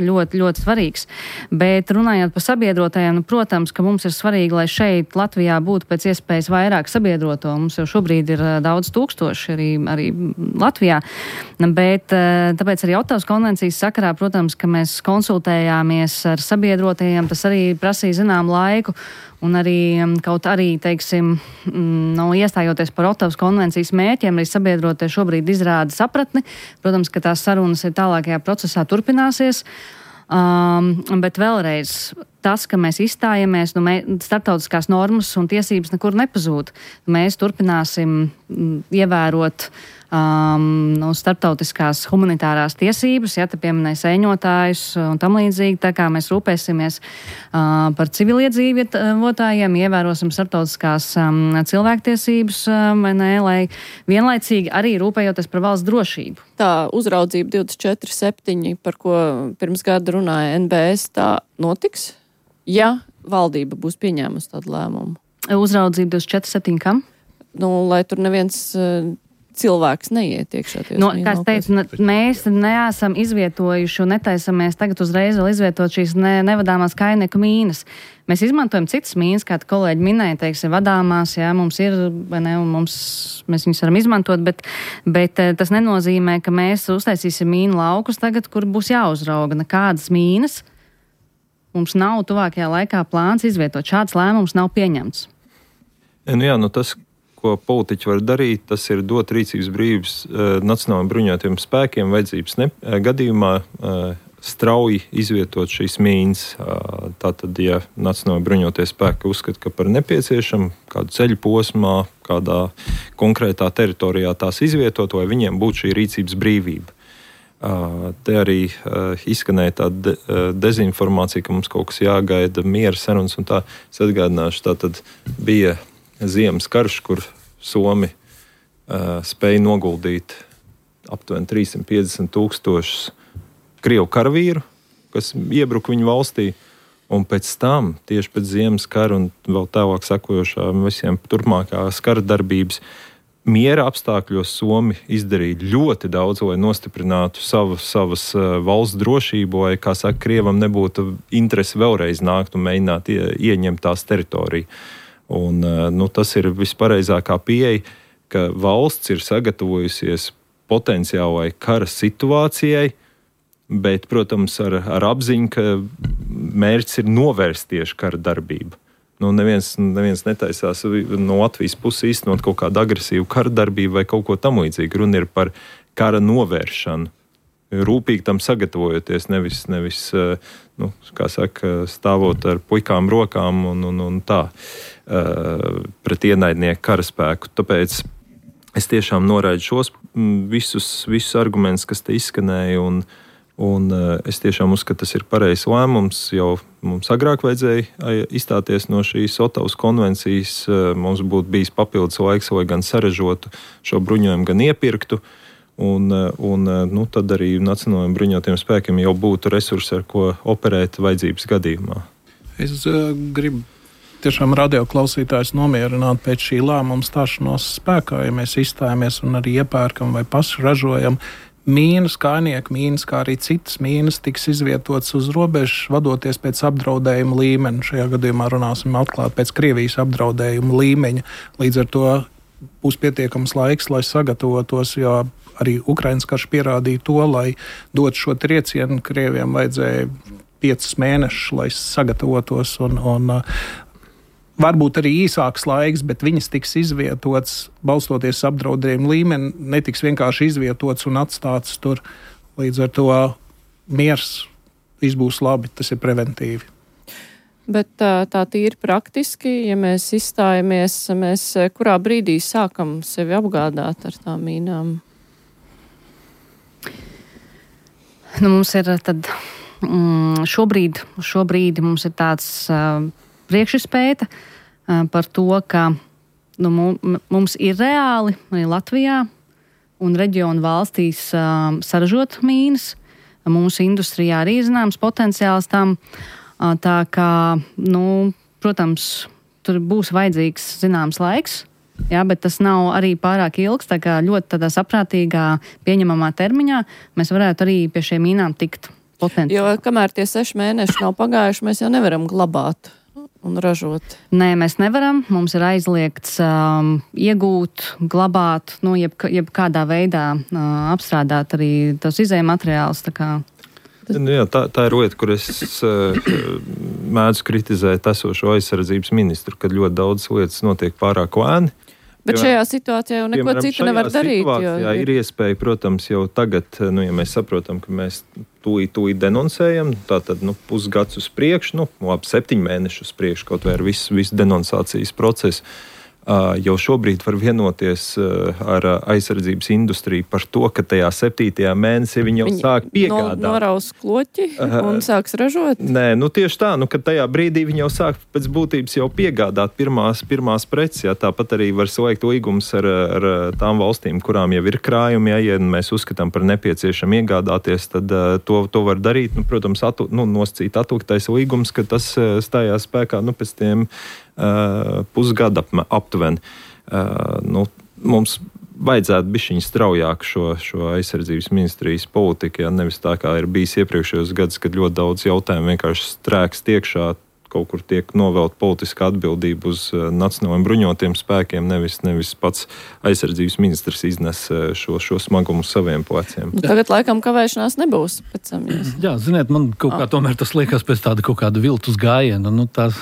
[SPEAKER 3] ļoti, ļoti svarīgs. Bet runājot par sabiedrotajiem, protams, ka mums ir svarīgi, lai šeit Latvijā būtu pēc iespējas vairāk sabiedroto. Mums jau šobrīd ir daudz tūkstoši arī Latvijā. Bet tāpēc arī Ottavas konvencijas sakarā, protams, ka mēs konsultējāmies ar sabiedrotajiem, tas arī prasīja zinām laiku. Un arī kaut arī, iestājoties par Ottavas konvencijas mērķiem, arī sabiedrotie šobrīd izrāda sapratni. Protams, ka tās sarunas ir tālākajā procesā turpināsies. Bet vēlreiz, tas, ka mēs izstājamies, starptautiskās normas un tiesības nekur nepazūd. Mēs turpināsim ievērot starptautiskās humanitārās tiesības, te pieminēja sēņotājus un tam līdzīgi, tā kā mēs rūpēsimies par civiliedzīvotājiem, ievērosim starptautiskās cilvēktiesības, lai vienlaicīgi arī rūpējoties par valsts drošību.
[SPEAKER 2] Tā uzraudzība 24/7, par ko pirms gada runāja NBS, tā notiks, ja valdība būs pieņēmusi tādu lēmumu?
[SPEAKER 3] Uzraudzība 24/7 kam?
[SPEAKER 2] Lai tur neviens cilvēks neiet iekšā.
[SPEAKER 3] Kā es teicu, mēs neesam izvietojuši un netaisamies tagad uzreiz vēl izvietot šīs nevadāmās kainieku mīnas. Mēs izmantojam citas mīnas, kā kolēģi minēja, vadāmās, mums ir, vai ne, un mēs viņus varam izmantot, bet tas nenozīmē, ka mēs uztaisīsim mīnu laukus tagad, kur būs jāuzrauga nekādas mīnas. Mums nav tuvākajā laikā plāns izvietot. Šāds lēmums nav pieņemts.
[SPEAKER 5] Jā, tas, ko politiķi var darīt, tas ir dot rīcības brīvības Nacionālajiem bruņotajiem spēkiem vajadzības gadījumā strauji izvietot šīs mīnas. Tātad, ja Nacionālajie bruņotie spēki uzskata, ka par nepieciešamu kādu ceļu posmā, kādā konkrētā teritorijā tās izvietot, vai viņiem būtu šī rīcības brīvība. Te arī izskanēja tāda dezinformācija, ka mums kaut kas jāgaida, miera sarunas un tā. Es atgādināšu, tātad bija ziemas karš, kur Somi spēja noguldīt aptuveni 350,000 Krievu karavīru, kas iebruka viņu valstī, un pēc tam, tieši pēc ziemas kara un vēl tālāk sekojošām visiem turpmākās kara darbības, miera apstākļos Somi izdarīja ļoti daudz, lai nostiprinātu savas valsts drošību, vai, kā saka, Krievam nebūtu interesi vēlreiz nākt un mēģināt ieņemt tās teritoriju. Un, tas ir vispareizākā pieeja, ka valsts ir sagatavojusies potenciālai kara situācijai, bet, protams, ar apziņu, ka mērķis ir novērst tieši kara darbību. Neviens netaisās no Latvijas puses īstenot kaut kādu agresīvu kara darbību vai kaut ko tam līdzīgu. Runa ir par kara novēršanu. Rūpīgi tam sagatavojoties, nevis kā saka, stāvot ar puikām rokām un tā pret ienaidnieku karaspēku. Tāpēc es tiešām noraidu šos visus argumentus, kas te izskanēja, un es tiešām uzskatu, tas ir pareizs lēmums. Jau mums agrāk vajadzēja izstāties no šīs Otavas konvencijas. Mums būtu bijis papildus laiks, lai gan saražotu šo bruņojumu, gan iepirktu. Un tad arī Nacionālajiem bruņotajiem spēkiem jau būtu resursi, ar ko operēt vajadzības gadījumā.
[SPEAKER 4] Es gribu tiešām radioklausītājus nomierināt pēc šī lēmuma stāšanos spēkā, ja mēs izstājamies un arī iepērkam vai paši ražojam. Mīnas, kājnieku mīnas, kā arī citas mīnas tiks izvietotas uz robežas, vadoties pēc apdraudējuma līmeņa. Šajā gadījumā runāsim atklāt pēc Krievijas apdraudējuma līmeņa. Līdz ar to būs pietiekams laiks, lai sagatavotos, jo arī Ukrainas karš pierādīja to, lai dot šo triecienu, Krieviem vajadzēja 5 mēnešus, lai sagatavotos un varbūt arī īsāks laiks, bet viņas tiks izvietotas, balstoties apdraudējumu līmeni, netiks vienkārši izvietotas un atstātas tur. Līdz ar to miers viss būs labi, tas ir preventīvi.
[SPEAKER 2] Bet tā tīri praktiski, ja mēs izstājamies, mēs kurā brīdī sākam sevi apgādāt ar tām mīnām?
[SPEAKER 3] Mums ir tad šobrīd mums ir tāds priekšizpēta par to, ka mums ir reāli arī Latvijā un reģionu valstīs saražot mīnas. Mūsu industrijā arī zināms potenciāls tam. Tā kā, protams, tur būs vajadzīgs zināms laiks, jā, bet tas nav arī pārāk ilgs, tā kā ļoti tādā saprātīgā, pieņemamā termiņā mēs varētu arī pie šiem mīnām tikt potenciāli. Jo
[SPEAKER 2] kamēr tie 6 mēneši nav pagājuši, mēs jau nevaram glabāt un ražot.
[SPEAKER 3] Nē, mēs nevaram. Mums ir aizliegts iegūt, glabāt, jebkādā veidā apstrādāt arī tos izējmateriālus.
[SPEAKER 5] Tā ir lieta, kur es mēdzu kritizēt esošo aizsardzības ministru, kad ļoti daudz lietas notiek pārāk lēni.
[SPEAKER 2] Bet šajā situācijā jau neko citu nevar darīt.
[SPEAKER 5] Jā, ir iespēja, protams, jau tagad, ja mēs saprotam, ka mēs tūlīt denoncējam, tātad pusgads uz priekšu, 7 mēnešus uz priekšu, kaut vai ar visu denoncācijas procesu. Jau šobrīd var vienoties ar aizsardzības industriju par to, ka tajā 7. mēnesī viņi jau sāk piegādāt.
[SPEAKER 2] Noraus kloķi un sāks ražot?
[SPEAKER 5] Nē, tieši tā, kad tajā brīdī viņi jau sāk pēc būtības jau piegādāt pirmās preces. Jā, tāpat arī var slēgt līgumus ar tām valstīm, kurām jau ir krājumi. Ja mēs uzskatām par nepieciešam iegādāties, tad to var darīt. Protams, nosacīt atliktais līgums, ka tas stājās spēkā pēc tiem pusgada aptuveni. Mums vajadzētu bišķiņ straujāk šo aizsardzības ministrijas politiku, nevis tā kā ir bijis iepriekšējos gadus, kad ļoti daudz jautājumu vienkārši strēkst iekšā, kaut kur tiek novelt politiskā atbildība uz nacionālajiem bruņotiem spēkiem, nevis pats aizsardzības ministrs iznes šo smagumu saviem pleciem.
[SPEAKER 2] Tagad laikam kavēšanās nebūs.
[SPEAKER 6] Jā, ziniet, man kaut kā tomēr tas liekas pēc tāda kaut kāda viltus gājiena. Tās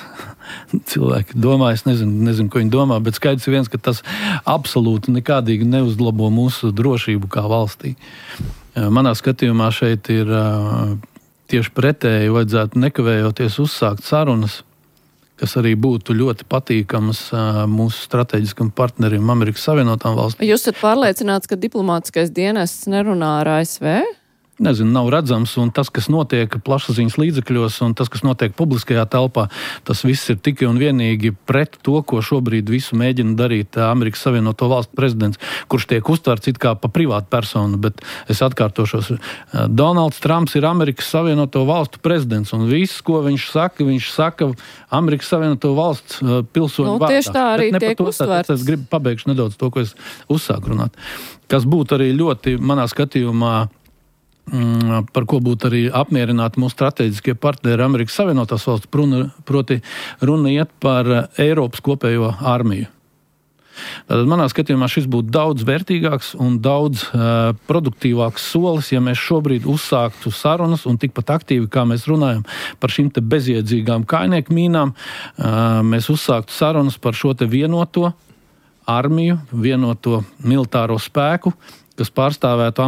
[SPEAKER 6] cilvēki domā, es nezinu, ko viņi domā, bet skaidrs ir viens, ka tas absolūti nekādīgi neuzlabo mūsu drošību kā valstī. Manā skatījumā šeit ir tieši pretēji vajadzētu nekavējoties uzsākt sarunas, kas arī būtu ļoti patīkamas mūsu strateģiskam partnerim Amerikas Savienotām valstīm.
[SPEAKER 2] Jūs esat pārliecināts, ka diplomātiskais dienests nerunā ar ASV?
[SPEAKER 6] Nezinu, nav redzams, un tas, kas notiek plašsaziņas līdzekļos, un tas, kas notiek publiskajā telpā, tas viss ir tikai un vienīgi pret to, ko šobrīd visu mēģina darīt Amerikas Savienoto valstu prezidents, kurš tiek uztverts it kā pa privātu personu, bet es atkārtošos, Donalds Trumps ir Amerikas Savienoto valstu prezidents, un viss, ko viņš saka Amerikas Savienoto valsts pilsoņu vārdā.
[SPEAKER 2] Tieši tā arī tiek uztverts.
[SPEAKER 6] Es gribu pabeigšu nedaudz to, ko es uzsāku runāt. Kas būtu arī ļoti, manā skatījumā, par ko būtu arī apmierināti mūsu strateģiskie partneri Amerikas Savienotās valsts, proti runa iet par Eiropas kopējo armiju. Tātad manā skatījumā šis būtu daudz vērtīgāks un daudz produktīvāks solis, ja mēs šobrīd uzsāktu sarunas un tikpat aktīvi, kā mēs runājam par šīm te bezjēdzīgām kājnieku mīnām, mēs uzsāktu sarunas par šo te vienoto armiju, vienoto militāro spēku, kas pārstāvētu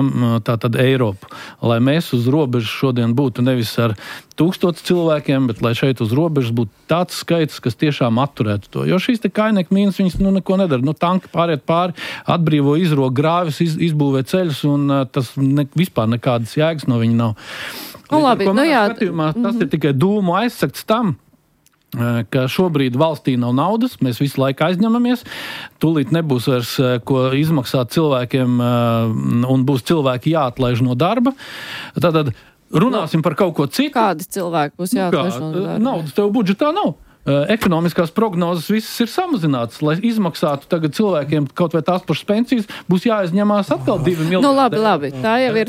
[SPEAKER 6] tātad Eiropu. Lai mēs uz robežas šodien būtu nevis ar 1000 cilvēkiem, bet lai šeit uz robežas būtu tāds skaits, kas tiešām atturētu to. Jo šīs te kājnieku mīnas, viņas neko nedara. Tanki pāriet pāri, atbrīvo izrok grāvis, izbūvē ceļus, un tas vispār nekādas jēgas no viņa nav.
[SPEAKER 2] Labi,
[SPEAKER 6] skatījumā, tas ir tikai dūmu aizsakts tam, ka šobrīd valstī nav naudas, mēs visu laiku aizņemamies, tūlīt nebūs vairs ko izmaksāt cilvēkiem un būs cilvēki jāatlaiž no darba. Tātad runāsim par kaut ko citu.
[SPEAKER 2] Kādi cilvēki būs jāatlaiž no darba?
[SPEAKER 6] Naudas tev budžetā nav. Ekonomiskās prognozes visas ir samazinātas, lai izmaksātu tagad cilvēkiem kaut vai tās pašas pensijas, būs jāaizņemās atkal 2 miljardi.
[SPEAKER 2] Labi,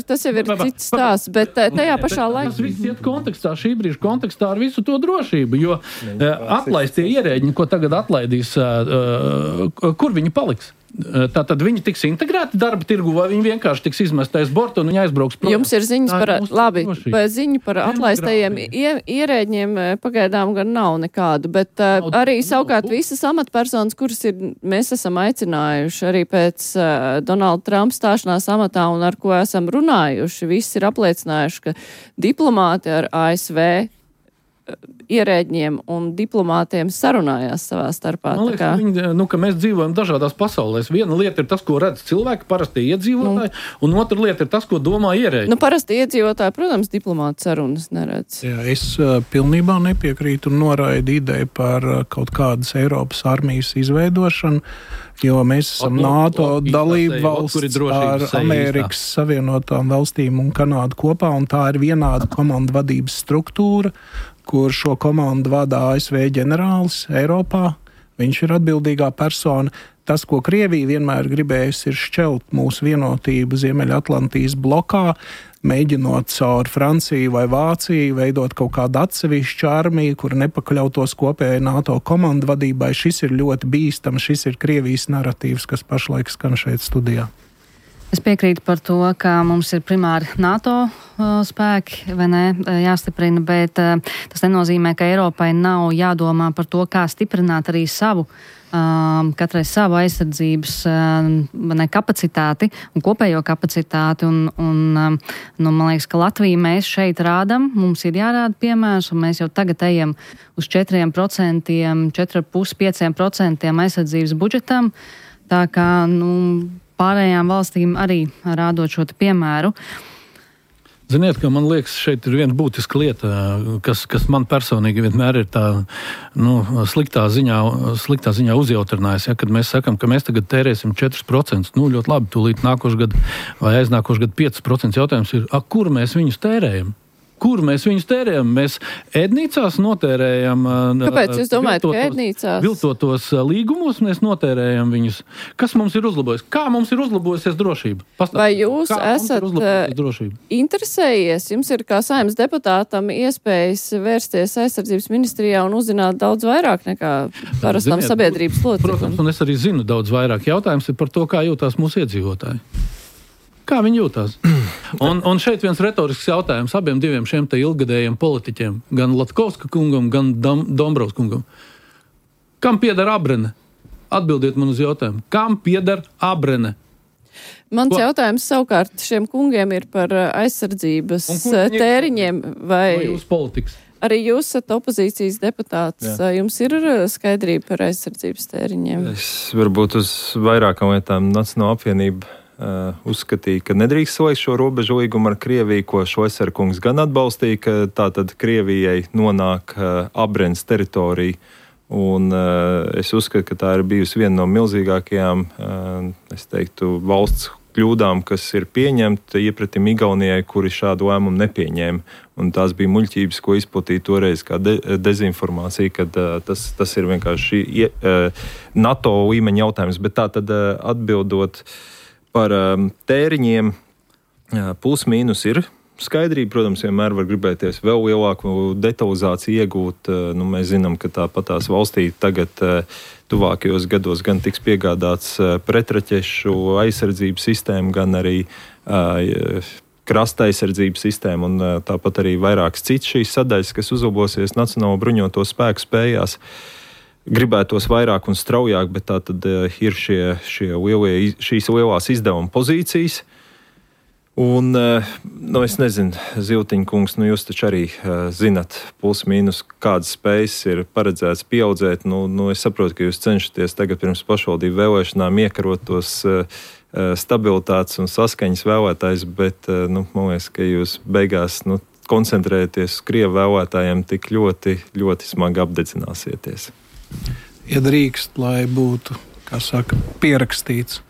[SPEAKER 2] tas jau ir cits stāsts, bet tajā pašā laikā.
[SPEAKER 6] Tas viss iet kontekstā, šī brīža kontekstā ar visu to drošību, jo atlaistie ierēģi, ko tagad atlaidīs, kur viņi paliks? Tātad viņi tiks integrēti darba tirgu, vai viņi vienkārši tiks izmestais bortu un viņi aizbrauks prom?
[SPEAKER 2] Jums ir ziņas par atlaistajiem ierēģiem pagaidām gan nav nekādu, bet arī savukārt visas amatpersonas, kuras mēs esam aicinājuši arī pēc Donalda Trumpa stāšanās amatā un ar ko esam runājuši, visi ir apliecinājuši, ka diplomāti ar ASV ierēģiem un diplomātiem sarunājās savā starpā.
[SPEAKER 6] Man liekas, ka mēs dzīvojam dažādās pasaulēs. Viena lieta ir tas, ko redz cilvēki, parasti iedzīvotāji, un otra lieta ir tas, ko domā ierēģi.
[SPEAKER 2] Parasti iedzīvotāji, protams, diplomāti sarunas neredz.
[SPEAKER 4] Jā, es pilnībā nepiekrītu un noraidu ideju par kaut kādas Eiropas armijas izveidošanu, jo mēs esam NATO dalība valsts ar Amerikas Savienotām valstīm un Kanādu kopā, un tā ir vienāda komandu vadības struktūra, kur šo komandu vada ASV ģenerālis Eiropā. Viņš ir atbildīgā persona. Tas, ko Krievija vienmēr gribējusi, ir šķelt mūsu vienotību Ziemeļatlantijas blokā, mēģinot caur Franciju vai Vāciju veidot kaut kādu atsevišķu armiju, kur nepakļautos kopējai NATO komandu vadībai. Šis ir ļoti bīstams, šis ir Krievijas naratīvs, kas pašlaik skan šeit studijā.
[SPEAKER 3] Es piekrītu par to, ka mums ir primāri NATO spēki, vai ne, jāstiprina, bet tas nenozīmē, ka Eiropai nav jādomā par to, kā stiprināt arī savu, katrai savu aizsardzības kapacitāti un kopējo kapacitāti. Man liekas, ka Latvija mēs šeit rādam, mums ir jārāda piemērs, un mēs jau tagad ejam uz 4%, 4,5% aizsardzības budžetam. Tā kā, pārējām valstīm arī rādot šo piemēru.
[SPEAKER 6] Ziniet, ka man liekas, šeit ir viena būtiska lieta, kas man personīgi vienmēr ir tā sliktā ziņā uzjautrinājis. Ja, kad mēs sakam, ka mēs tagad tērēsim 4%, ļoti labi, tūlīt nākošu gadu vai aiznākošu gadu 5%, jautājums ir, kur mēs viņus tērējam? Kur mēs viņus tērējam? Mēs ēdnīcās notērējam.
[SPEAKER 2] Kāpēc jūs domājat, ka ēdnīcās?
[SPEAKER 6] Viltotos līgumos mēs notērējam viņus. Kas mums ir uzlabojis? Kā mums ir uzlabojusies drošība?
[SPEAKER 2] Vai jūs esat interesējies? Jums ir kā Saeimas deputātam iespējas vērsties aizsardzības ministrijā un uzzināt daudz vairāk nekā parastam sabiedrības loceklim?
[SPEAKER 6] Protams, un es arī zinu daudz vairāk. Jautājums ir par to, kā jūtās mūsu iedzīvotāji. Kā viņi jūtās? Un šeit viens retorisks jautājums abiem diviem šiem te ilgadējiem politiķiem, gan Latkovska kungam, gan Dombrovs kungam. Kam pieder Abrene? Atbildiet man uz jautājumu. Kam pieder Abrene?
[SPEAKER 2] Mans jautājums savukārt šiem kungiem ir par aizsardzības tēriņiem vai
[SPEAKER 6] jūsu politikas?
[SPEAKER 2] Arī jūs esat opozīcijas deputāts. Jā. Jums ir skaidrība par aizsardzības tēriņiem?
[SPEAKER 5] Es varbūt uz vairākām lietām Nacionāla apvienība uzskatīja, ka nedrīkst slēgt šo robežu līgumu ar Krieviju, ko Šoicer kungs gan atbalstīja, ka tātad Krievijai nonāk Abrenes teritorija. Un es uzskatu, ka tā ir bijusi viena no milzīgākajām, es teiktu, valsts kļūdām, kas ir pieņemta iepratim Igaunijai, kuri šādu lēmumu nepieņēma. Un tās bija muļķības, ko izplatīja toreiz kā dezinformācija, kad tas ir vienkārši NATO līmeņa jautājums. Bet tā tad atbildot par tēriņiem, plus mīnus ir skaidrība. Protams, vienmēr var gribēties vēl lielāku detalizāciju iegūt. Mēs zinām, ka tāpatās valstī tagad tuvākajos gados gan tiks piegādāts pretraķešu aizsardzības sistēma, gan arī krasta aizsardzības sistēma un tāpat arī vairākas citas šīs sadaļas, kas uzlabosies Nacionālo bruņoto spēku spējās. Gribētos vairāk un straujāk, bet tā tad ir šīs lielās izdevuma pozīcijas. Un, es nezinu, Ziltiņa kungs, jūs taču arī zinat plus mīnus, kādas spējas ir paredzēts pieaudzēt. Es saprotu, ka jūs cenšaties tagad pirms pašvaldību vēlēšanām iekarot tos stabilitātes un saskaņas vēlētājs, bet, man liekas, ka jūs beigās, koncentrēties uz Krievu vēlētājiem tik ļoti, ļoti smagi apdedzināsieties.
[SPEAKER 4] Ja drīkst, lai būtu, kā saka, pierakstīts,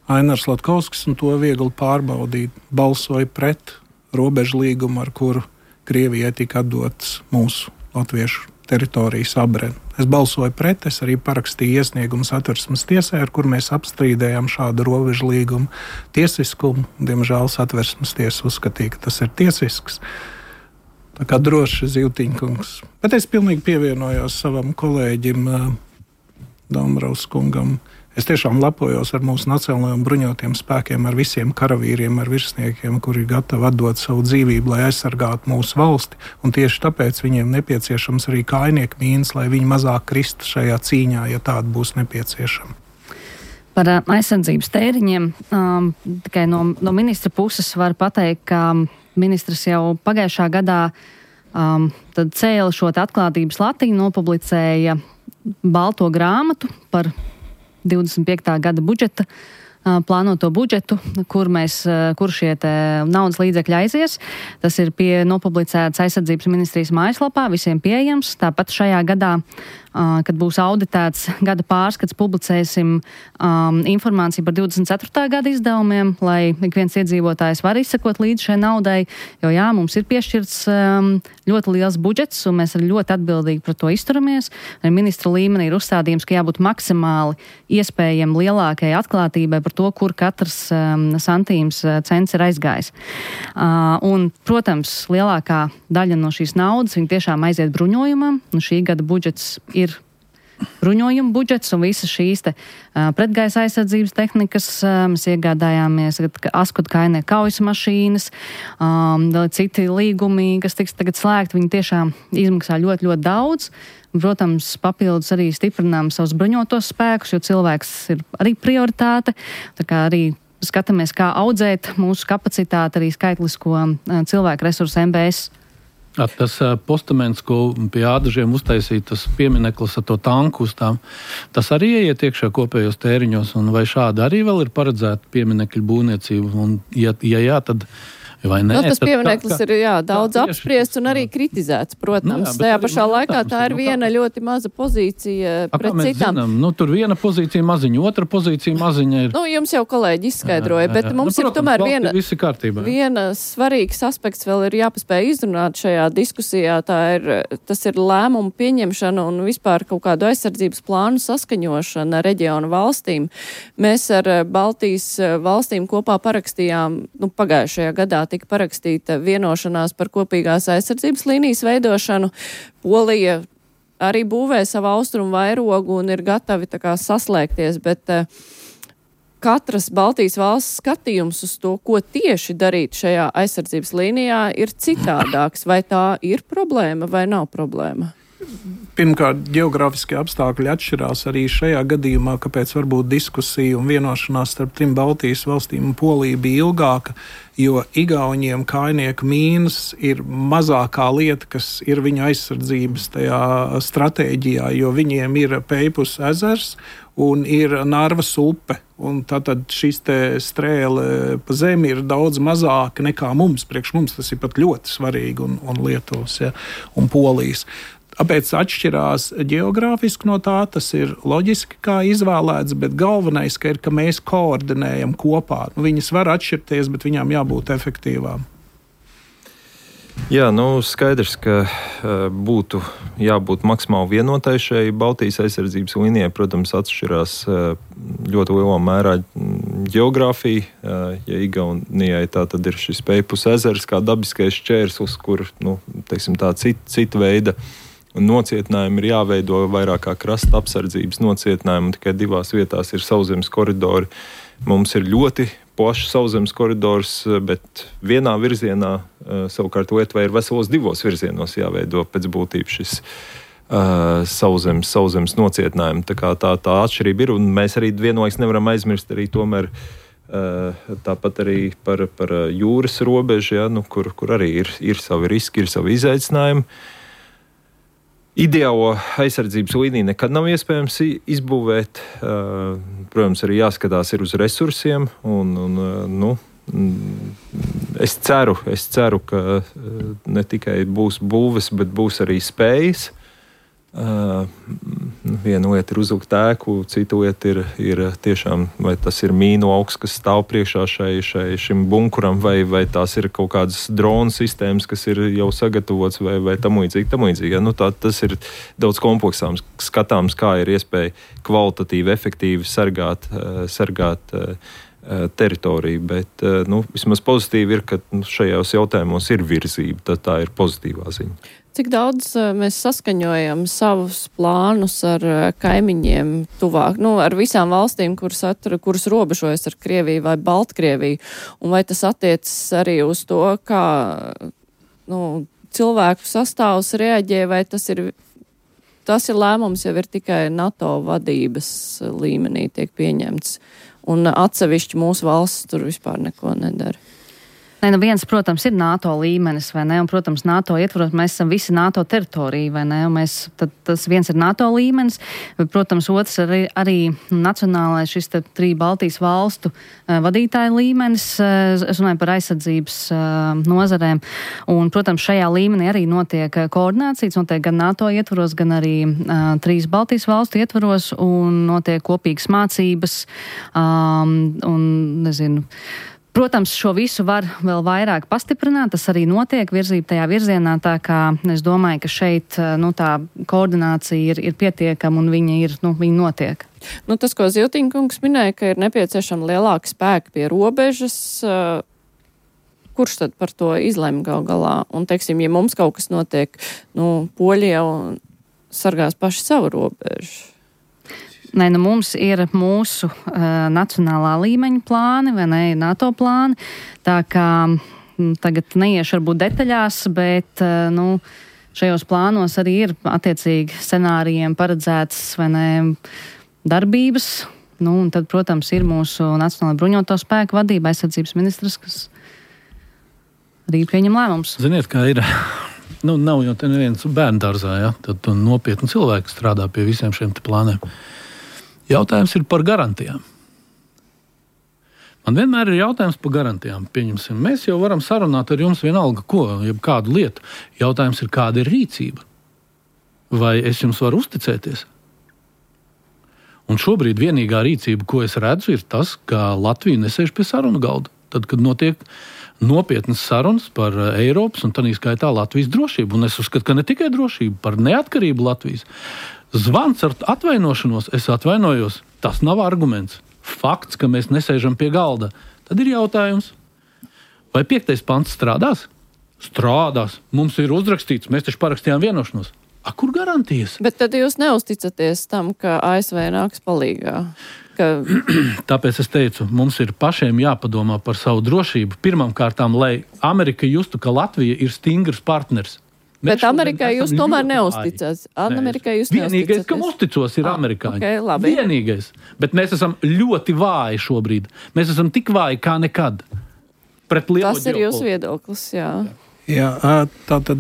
[SPEAKER 4] Ainars Latkovskis, un to viegli pārbaudīt, balsoja pret robežu līgumu, ar kuru Krievijai tika atdotas mūsu latviešu teritorijas Abrene. Es balsoju pret, es arī parakstīju iesniegumu Satversmes tiesai, ar kur mēs apstrīdējām šādu robežu līgumu tiesiskumu. Diemžēl Satversmes tiesa uzskatīja, ka tas ir tiesisks. Tā kā droši Ziltiņa kungs. Bet es pilnīgi pievienojos savam kolēģim Dombrovs kungam. Es tiešām lepojos ar mūsu nacionālajiem bruņotiem spēkiem, ar visiem karavīriem, ar virsniekiem, kuri ir gatavi atdot savu dzīvību, lai aizsargātu mūsu valsti. Un tieši tāpēc viņiem nepieciešams arī kājnieku mīnas, lai viņi mazāk kristu šajā cīņā, ja tāda būs nepieciešama.
[SPEAKER 3] Par aizsardzības tēriņiem tikai no ministra puses var pateikt, ka ministrs jau pagājušā gadā tad cēla šo atklātības latiņu, nopublicēja balto grāmatu par 25. gada budžeta, plānoto budžetu, kur šie naudas līdzekļi aizies. Tas ir nopublicēts aizsardzības ministrijas mājaslapā, visiem pieejams. Tāpat šajā gadā, kad būs auditēts gada pārskats, publicēsim informāciju par 24. gada izdevumiem, lai ik viens iedzīvotājs var izsekot līdz šai naudai, jo mums ir piešķirts ļoti liels budžets, un mēs arī ļoti atbildīgi par to izturamies. Ministra līmenī ir uzstādījums, ka jābūt maksimāli iespējami lielākai atklātībai par to, kur katrs santīms cents ir aizgājis. Un, protams, lielākā daļa no šīs naudas, viņi tiešām aiziet bruņojumam, un šī gada budžets ir bruņojuma budžets, un visas šīs pretgaisa aizsardzības tehnikas mēs iegādājāmies Askud kainieku kaujas mašīnas, citi līgumi, kas tiks tagad slēgti, viņi tiešām izmaksā ļoti, ļoti daudz. Protams, papildus arī stiprinām savus bruņotos spēkus, jo cilvēks ir arī prioritāte. Tā kā arī skatāmies, kā audzēt mūsu kapacitāti, arī skaitlisko cilvēku resursu MBS.
[SPEAKER 6] Tas postaments, ko pie ādažiem uztaisīja, tas piemineklis ar to tanku uz tām, tas arī ieiet iekšā kopējos tēriņos, un vai šādi arī vēl ir paredzēta pieminekļu būvniecība? Un, ja jā, tad vai nē.
[SPEAKER 2] Tas piemineklis ir daudz apspriests un arī kritizēts, protams. Tajā pašā laikā tā ir viena ļoti maza pozīcija pret citām.
[SPEAKER 6] Tur viena pozīcija maziņa, otra pozīcija maziņa ir.
[SPEAKER 2] Jums jau kolēģi izskaidroja, bet mums ir tomēr viena svarīgs aspekts vēl ir jāpaspēj izrunāt šajā diskusijā. Tas ir lēmumu pieņemšana un vispār kaut kādu aizsardzības plānu saskaņošana reģionu valstīm. Mēs ar Baltijas valstīm kopā parakstījām, pagājušajā gadā tika parakstīta vienošanās par kopīgās aizsardzības līnijas veidošanu. Polija arī būvē savu austrumu vairogu un ir gatavi saslēgties, bet katras Baltijas valsts skatījums uz to, ko tieši darīt šajā aizsardzības līnijā, ir citādāks. Vai tā ir problēma vai nav problēma?
[SPEAKER 4] Pirmkārt, geogrāfiskie apstākļi atšķirās arī šajā gadījumā, kāpēc varbūt diskusija un vienošanās starp trim Baltijas valstīm un Poliju bija ilgāka, jo Igauniem kājnieku mīnas ir mazākā lieta, kas ir viņu aizsardzības tajā stratēģijā, jo viņiem ir Peipus ezers un ir Narvas upe. Un tātad šis te strēle pa zemi ir daudz mazāka nekā mums. Priekš mums tas ir pat ļoti svarīgi un Lietuvas un Polijas. Tāpēc atšķirās geogrāfiski no tā, tas ir loģiski kā izvēlēts, bet galvenais, ka mēs koordinējam kopā. Viņas var atšķirties, bet viņām jābūt efektīvām.
[SPEAKER 5] Jā, skaidrs, ka būtu jābūt maksimāli vienotai šai Baltijas aizsardzības līnijai. Protams, atšķirās ļoti lielā mērā geogrāfija. Ja Igaunijai tā tad ir šis Peipus ezers kā dabiskais šķērslis, kur, cita veida nocietinājumi ir jāveido vairāk kā krasta apsardzības nocietinājumi, un tikai 2 vietās ir sauszemes koridori. Mums ir ļoti plašs sauszemes koridors, bet vienā virzienā savukārt Lietuvai ir veselos 2 virzienos jāveido pēc būtības šis sauszemes nocietinājumi. Tā kā tā atšķirība ir, un mēs arī vienlaikus nevaram aizmirst arī tomēr tāpat arī par jūras robežu, kur arī ir savi riski, ir savi izaicinājumi. Ideālo aizsardzības līniju nekad nav iespējams izbūvēt. Protams, arī jāskatās ir uz resursiem. Es ceru, ka ne tikai būs būves, bet būs arī spējas. Viena lieta ir uzvilkt ēku, cita lieta ir tiešām, vai tas ir mīnu augs, kas stāv priekšā šim bunkuram, vai tās ir kaut kādas dronu sistēmas, kas ir jau sagatavots, vai tam līdzīgi. Tas ir daudz kompleksāms skatāms, kā ir iespēja kvalitatīvi, efektīvi sargāt teritoriju, bet vismaz pozitīvi ir, ka šajos jautājumos ir virzība, tā ir pozitīvā ziņa.
[SPEAKER 2] Cik daudz mēs saskaņojam savus plānus ar kaimiņiem tuvāk, ar visām valstīm, kuras robežojas ar Krieviju vai Baltkrieviju, un vai tas attiecas arī uz to, kā cilvēku sastāvs reaģē, vai tas ir lēmums jau ir tikai NATO vadības līmenī tiek pieņemts, un atsevišķi mūsu valsts tur vispār neko nedara.
[SPEAKER 3] Viens, protams, ir NATO līmenis, vai ne? Un, protams, NATO ietvaros mēs esam visi NATO teritorija, vai ne? Un tas viens ir NATO līmenis, bet, protams, otrs arī nacionālais šis 3 Baltijas valstu vadītāju līmenis. Es runāju par aizsardzības nozarēm. Un, protams, šajā līmenī arī notiek koordinācijas, notiek gan NATO ietvaros, gan arī 3 Baltijas valstu ietvaros, un notiek kopīgas mācības, Protams, šo visu var vēl vairāk pastiprināt, tas arī notiek virzība tajā virzienā, tā kā es domāju, ka šeit tā koordinācija ir pietiekama un viņa notiek.
[SPEAKER 2] Tas, ko Ziltiņkungs minēja, ka ir nepieciešama lielāka spēka pie robežas, kurš tad par to izlem gal galā? Un, teiksim, ja mums kaut kas notiek, poļi jau sargās paši savu robežu.
[SPEAKER 3] Mums ir mūsu nacionālā līmeņa plāni, vai ne, NATO plāni, tā kā tagad neiešu varbūt detaļās, bet šajos plānos arī ir attiecīgi scenārijiem paredzētas, vai ne, darbības, un tad, protams, ir mūsu Nacionālā bruņoto spēku vadība, aizsardzības ministrs, kas arī pieņem lēmums.
[SPEAKER 6] Ziniet, kā ir, nav jau te neviens bērndārzā, tad nopietni cilvēki strādā pie visiem šiem te plāniem. Jautājums ir par garantijām. Man vienmēr ir jautājums par garantijām. Pieņemsim, mēs jau varam sarunāt ar jums vienalga ko, jeb kādu lietu. Jautājums ir, kāda ir rīcība? Vai es jums varu uzticēties? Un šobrīd vienīgā rīcība, ko es redzu, ir tas, ka Latvija nesēž pie sarunu galda. Tad, kad notiek nopietnas sarunas par Eiropas un tādā skaitā Latvijas drošību. Un es uzskatu, ka ne tikai drošību, par neatkarību Latvijas. Zvans ar atvainošanos, es atvainojos, tas nav arguments. Fakts, ka mēs nesēžam pie galda. Tad ir jautājums, vai 5. pants strādās? Strādās. Mums ir uzrakstīts, mēs taču parakstījām vienošanos. Kur garantijas?
[SPEAKER 2] Bet tad jūs neusticaties tam, ka ASV nāks palīgā?
[SPEAKER 6] Tāpēc es teicu, mums ir pašiem jāpadomā par savu drošību. Pirmkārtām, lai Amerika justu, ka Latvija ir stingrs partners.
[SPEAKER 2] Bet Amerikai jūs tomēr neusticās.
[SPEAKER 6] Vienīgais, kam uzticos, ir amerikāņi.
[SPEAKER 2] Okay, labi.
[SPEAKER 6] Vienīgais. Bet mēs esam ļoti vāji šobrīd. Mēs esam tik vāji kā nekad.
[SPEAKER 2] Tas ir jūsu viedoklis, jā.
[SPEAKER 4] Jā, tātad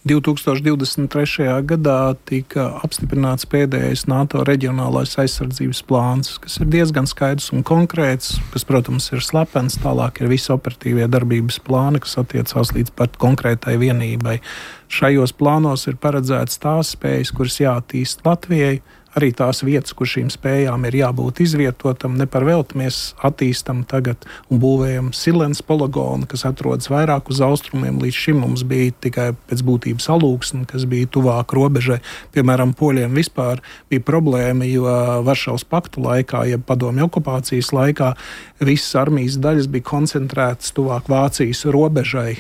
[SPEAKER 4] 2023. gadā tika apstiprināts pēdējais NATO reģionālais aizsardzības plāns, kas ir diezgan skaidrs un konkrēts, kas, protams, ir slepens. Tālāk ir visi operatīvie darbības plāni, kas attiecās līdz pat konkrētai vienībai. Šajos plānos ir paredzēts tās spējas, kuras jāattīst Latvijai, arī tās vietas, kur šīm spējām ir jābūt izvietotam. Ne par velti mēs attīstam tagad un būvējam Silens poligonu, kas atrodas vairāk uz austrumiem. Līdz šim mums bija tikai pēc būtības Alūksne, kas bija tuvāk robežai. Piemēram, poļiem vispār bija problēma, jo Varšavas paktu laikā, jeb padomju okupācijas laikā, visas armijas daļas bija koncentrētas tuvāk Vācijas robežai,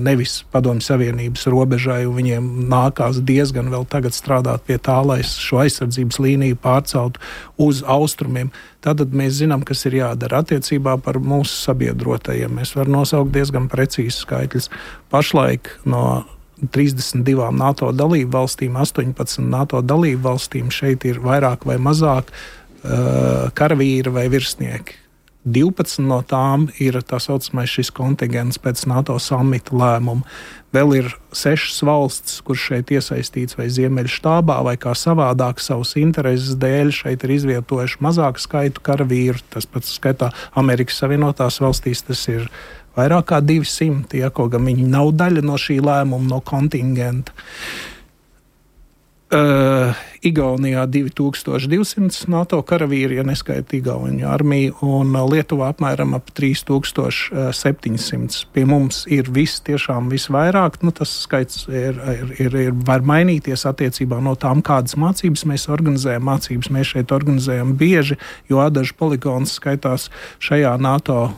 [SPEAKER 4] nevis Padomju Savienības robežai, un viņiem nākās diezgan vēl tagad strādāt pie tā, lai šo aizsardzības līniju pārceltu uz austrumiem. Tātad mēs zinām, kas ir jādara attiecībā par mūsu sabiedrotajiem. Mēs varam nosaukt diezgan precīzus skaitļus. Pašlaik no 32 NATO dalību valstīm, 18 NATO dalību valstīm šeit ir vairāk vai mazāk karavīri vai virsnieki. 12 no tām ir tā saucamais šis kontingents pēc NATO samita lēmuma. Vēl ir 6 valsts, kur šeit iesaistīts vai Ziemeļštābā, vai kā savādāk savas intereses dēļ šeit ir izvietojuši mazāku skaitu karavīru. Tas pats skaitā Amerikas Savienotās valstīs tas ir vairāk kā 200, ja, kaut gan viņi nav daļa no šī lēmuma, no kontingenta. Igaunijā 2200 NATO karavīri, ja neskaita Igauniju armiju, un Lietuvā apmēram ap 3700. Pie mums ir tiešām visvairāk. Tas skaits var mainīties attiecībā no tām, kādas mācības mēs organizējam. Mācības mēs šeit organizējam bieži, jo Adažu poligons skaitās šajā NATO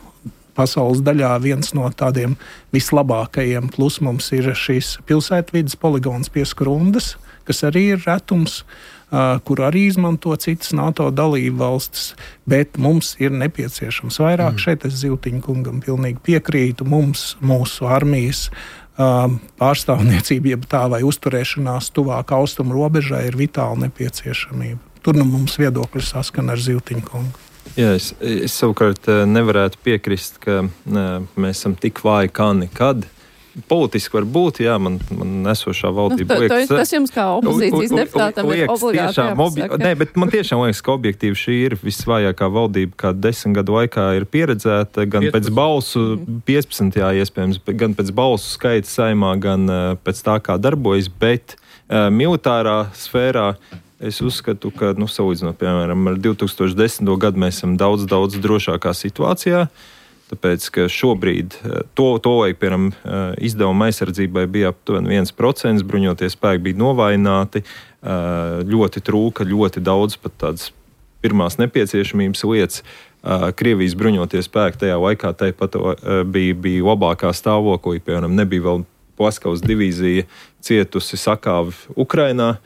[SPEAKER 4] pasaules daļā viens no tādiem vislabākajiem. Plus mums ir šīs pilsētvidas poligons pie Skrundas, kas arī ir retums, kur arī izmanto citas NATO dalību valstis, bet mums ir nepieciešams vairāk. Šeit es Zivtiņa kungam pilnīgi piekrītu. Mums, mūsu armijas pārstāvniecība, jeb tā vai uzturēšanās tuvāk austrumu robežai ir vitāli nepieciešamība. Tur mums viedokļi saskan ar Zivtiņa kungu.
[SPEAKER 5] Jā, es savukārt nevarētu piekrist, ka mēs esam tik vāji kā nekad. Politiski var būt, jā, man esošā valdība liekas...
[SPEAKER 2] Tas jums kā opozīcijas deputātam ir obligāti jāpasaka.
[SPEAKER 5] Nē, bet man tiešām liekas, ka objektīvi šī ir visvājākā valdība, kā 10 gadu laikā ir pieredzēta, gan 15. Pēc balsu, 15. iespējams, gan pēc balsu skaita saimā, gan pēc tā, kā darbojas, bet militārā sfērā es uzskatu, ka, salīdzinot, piemēram, ar 2010. gadu mēs esam daudz drošākā situācijā. Tāpēc, ka šobrīd to laik, piemēram, izdevuma aizsardzībai bija aptuveni 1%, bruņoties spēki bija novājināti, ļoti trūka, ļoti daudz pat tādas pirmās nepieciešamības lietas. Krievijas bruņoties spēki tajā laikā tāpat bija labākā stāvoklī, piemēram, nebija vēl Plaskavas divīzija cietusi sakāvi Ukrainā.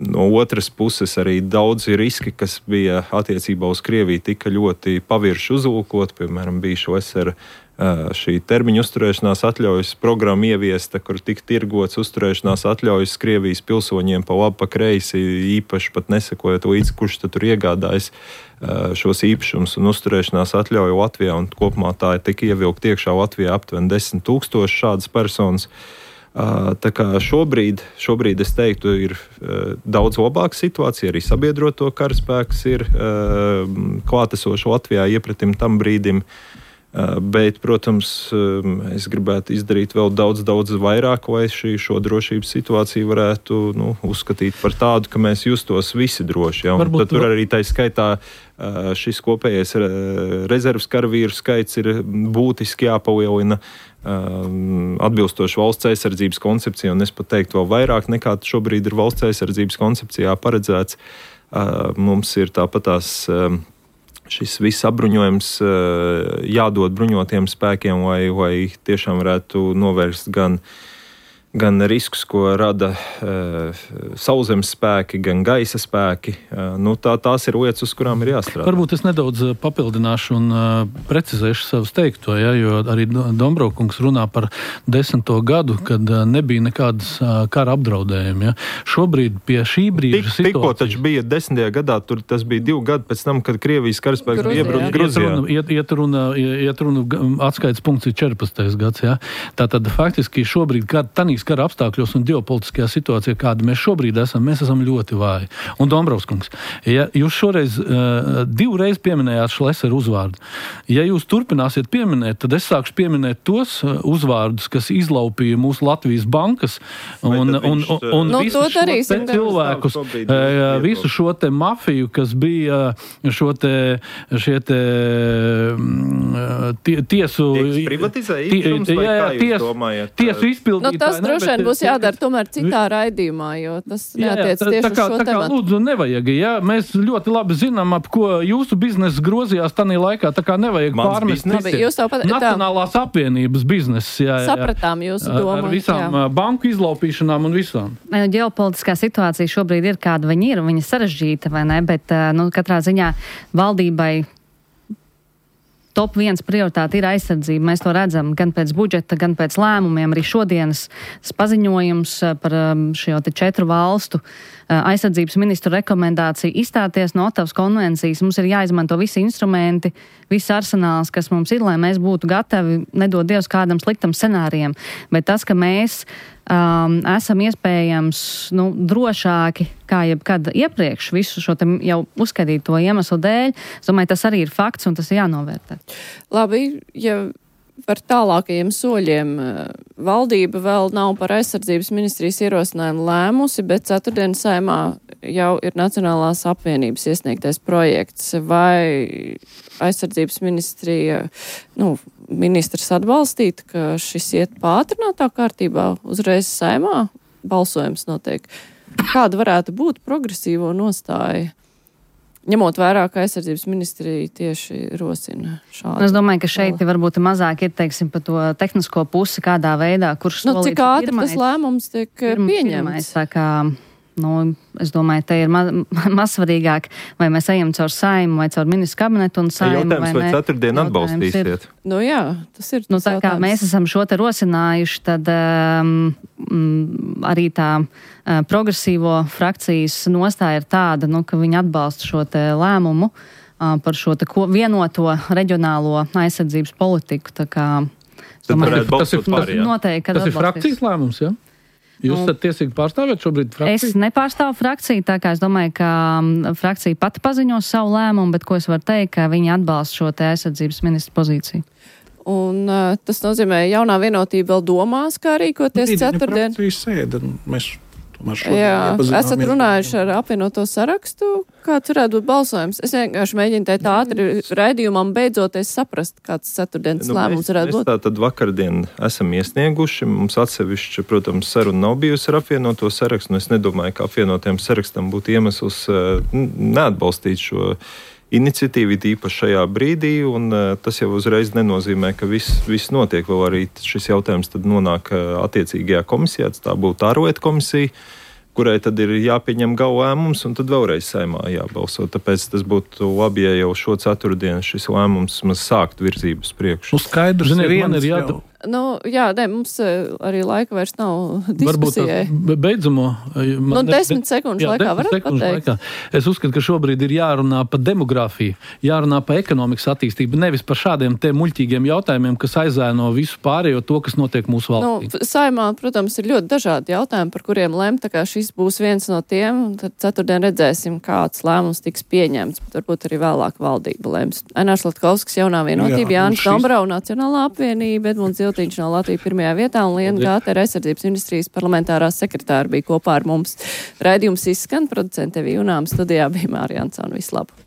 [SPEAKER 5] No otras puses arī daudzi riski, kas bija attiecībā uz Krieviju, tika ļoti pavirši uzlūkot. Piemēram, bija šī termiņa uzturēšanās atļaujas programma ieviesta, kur tika tirgots uzturēšanās atļaujas Krievijas pilsoņiem pa labi, pa kreisi, īpaši pat nesakojot līdzi, kurš tad tur iegādājas šos īpašumus un uzturēšanās atļauju Latvijā. Un kopumā tā tika ievilkt iekšā Latvijā aptuveni 10 000 šādas personas. Tā kā šobrīd es teiktu, ir daudz labāka situācija, arī sabiedroto karaspēks ir klātesoši Latvijā iepratim tam brīdim. Bet, protams, es gribētu izdarīt vēl daudz vairāk, lai šo drošības situāciju varētu uzskatīt par tādu, ka mēs justos visi droši. Ja? Tad tur arī tā skaitā šis kopējais rezerves karavīru skaits ir būtiski jāpalielina atbilstoši valsts aizsardzības koncepcija, un es pat teiktu vēl vairāk nekā šobrīd ir valsts aizsardzības koncepcijā paredzēts. Mums ir tāpatās šis viss apbruņojums jādod bruņotiem spēkiem, lai tiešām varētu novērst gan riskus, ko rada sauszemes spēki, gan gaisa spēki. Tās ir lietas, uz kurām ir jāstrādā.
[SPEAKER 6] Varbūt es nedaudz papildināšu un precizēšu savus teikto, jo arī Dombrovkungs runā par 10. gadu, kad nebija nekādas kara apdraudējumi. Ja. Šobrīd pie šī brīža situācijas...
[SPEAKER 5] Tikko taču bija 10. gadā, tas bija 2 gadi pēc tam, kad Krievijas karaspēks iebruka Gruzijā.
[SPEAKER 6] Iet runa atskaites punkts ir 14. gads. Ja. Tātad faktiski šobrīd kara apstākļos un ģeopolitiskajā situācijā, kāda mēs šobrīd esam, mēs esam ļoti vāji. Un Dombrovskungs, ja jūs šoreiz 2 reizes pieminējāt Šleseru uzvārdu, ja jūs turpināsiet pieminēt, tad es sākšu pieminēt tos uzvārdus, kas izlaupīja mūsu Latvijas bankas un visu šo te cilvēkus, visu šo te mafiju, kas bija šie te tiesu... Tiesu izpildītāji.
[SPEAKER 2] Tas droši vien būs jādara tomēr citā raidījumā, jo tas neatiec tieši uz šo tematu.
[SPEAKER 6] Lūdzu, nevajag, mēs ļoti labi zinām, ap ko jūsu biznesa grozījās tanī laikā, tā kā nevajag pārmest Nacionālās apvienības biznesa.
[SPEAKER 2] Sapratām jūsu domu.
[SPEAKER 6] Ar visām banku izlaupīšanām un visām.
[SPEAKER 3] Ģeopolitiskā situācija šobrīd ir kāda viņa ir, viņa sarežģīta, vai ne, bet katrā ziņā valdībai top 1 prioritāte ir aizsardzība. Mēs to redzam gan pēc budžeta, gan pēc lēmumiem. Arī šodienas paziņojums par šo 4 valstu aizsardzības ministru rekomendāciju izstāties no Ottavas konvencijas. Mums ir jāizmanto visi instrumenti, viss arsenāls, kas mums ir, lai mēs būtu gatavi, nedod Dievs, kādam sliktam scenārijam. Bet tas, ka mēs esam iespējams drošāki kā jebkad iepriekš visu šo jau uzskatīto iemeslu dēļ, es domāju, tas arī ir fakts un tas ir jānovērtē.
[SPEAKER 2] Labi, ja par tālākajiem soļiem valdība vēl nav par aizsardzības ministrijas ierosinājumu lēmusi, bet ceturtdien Saeimā jau ir Nacionālās apvienības iesniegtais projekts. Vai aizsardzības ministrija, ministrs atbalstīt, ka šis iet pātrinātā kārtībā uzreiz Saeimā balsojums notiek? Kāda varētu būt progresīvo nostāja? Ņemot vērā, ka aizsardzības ministrija tieši rosina šādu.
[SPEAKER 3] Es domāju, ka šeit varbūt mazāk ir, pa to tehnisko pusi, kādā veidā, kurš solīts
[SPEAKER 2] cik ātri tas lēmums tiek pieņemts?
[SPEAKER 3] Tā kā, es domāju, te ir mazsvarīgāk, vai mēs ejam caur Saeimu vai caur ministru kabinetu un Saimu,
[SPEAKER 5] vai ceturtdien atbalstīsiet?
[SPEAKER 2] Jā, tas ir tas
[SPEAKER 3] tā kā mēs esam šo te rosinājuši, tad arī tā progresīvo frakcijas nostāja ir tāda, ka viņi atbalsta šo te lēmumu par šo te vienoto reģionālo aizsardzības politiku. Tā kā,
[SPEAKER 6] tas ir frakcijas lēmums, ja? Jūs esat tiesīgi pārstāvēt šobrīd frakciju?
[SPEAKER 3] Es nepārstāvu frakciju, tā kā es domāju, ka frakcija pati paziņos savu lēmumu, bet ko es varu teikt, ka viņi atbalsta šo te aizsardzības ministru pozīciju.
[SPEAKER 2] Un tas nozīmē, jaunā vienotība vēl domās, kā rīkoties ceturtdien? Jā, esat runājuši ar apvienoto sarakstu, kāds varētu būt balsojums. Es vienkārši mēģinu tēt ātri raidījumam beidzoties saprast, kāds ceturtdienas lēmums varētu būt.
[SPEAKER 5] Mēs tātad vakardien esam iesnieguši, mums atsevišķi, protams, saruna nav bijusi ar apvienoto sarakstu, un es nedomāju, ka apvienotiem sarakstam būtu iemesls neatbalstīt šo iniciatīvu īpaši šajā brīdī, un tas jau uzreiz nenozīmē, ka viss notiek. Vēl arī šis jautājums tad nonāk attiecīgajā komisijā, tā būtu ārlietu komisija, kurai tad ir jāpieņem gala lēmums, un tad vēlreiz Saeimā jābalso. Tāpēc tas būtu labi, ja jau šo ceturtdienu šis lēmums sākt virzību uz priekšu.
[SPEAKER 6] Skaidrs,
[SPEAKER 2] Mums arī laika vairs nav diskusijai.
[SPEAKER 6] Varbūt beidzamo.
[SPEAKER 2] 10 sekundžu laikā varat pateikt?
[SPEAKER 6] Es uzskatu, ka šobrīd ir jārunā par demografiju, jārunā par ekonomikas attīstību, nevis par šādiem te muļķīgiem jautājumiem, kas aizēno visu pārējo to, kas notiek mūsu valstī.
[SPEAKER 2] Saimā, protams, ir ļoti dažādi jautājumi, par kuriem lem, tā kā šis būs viens no tiem, tad ceturtdien redzēsim, kāds lēmums tiks pieņemts, bet varbūt arī vēlāk valdība lems. Ainārs Latkovskis, Jaunā vienotība, Jānis Dombrau, Nacionālā apvienība, Edmunds Ziltiņš no Latvijas pirmajā vietā un Liena Gāte, aizsardzības ministrijas parlamentārā sekretāra bija kopā ar mums. Raidījums izskan, producente Evija Junām, studijā bija Mārija Ansona. Vislabāk!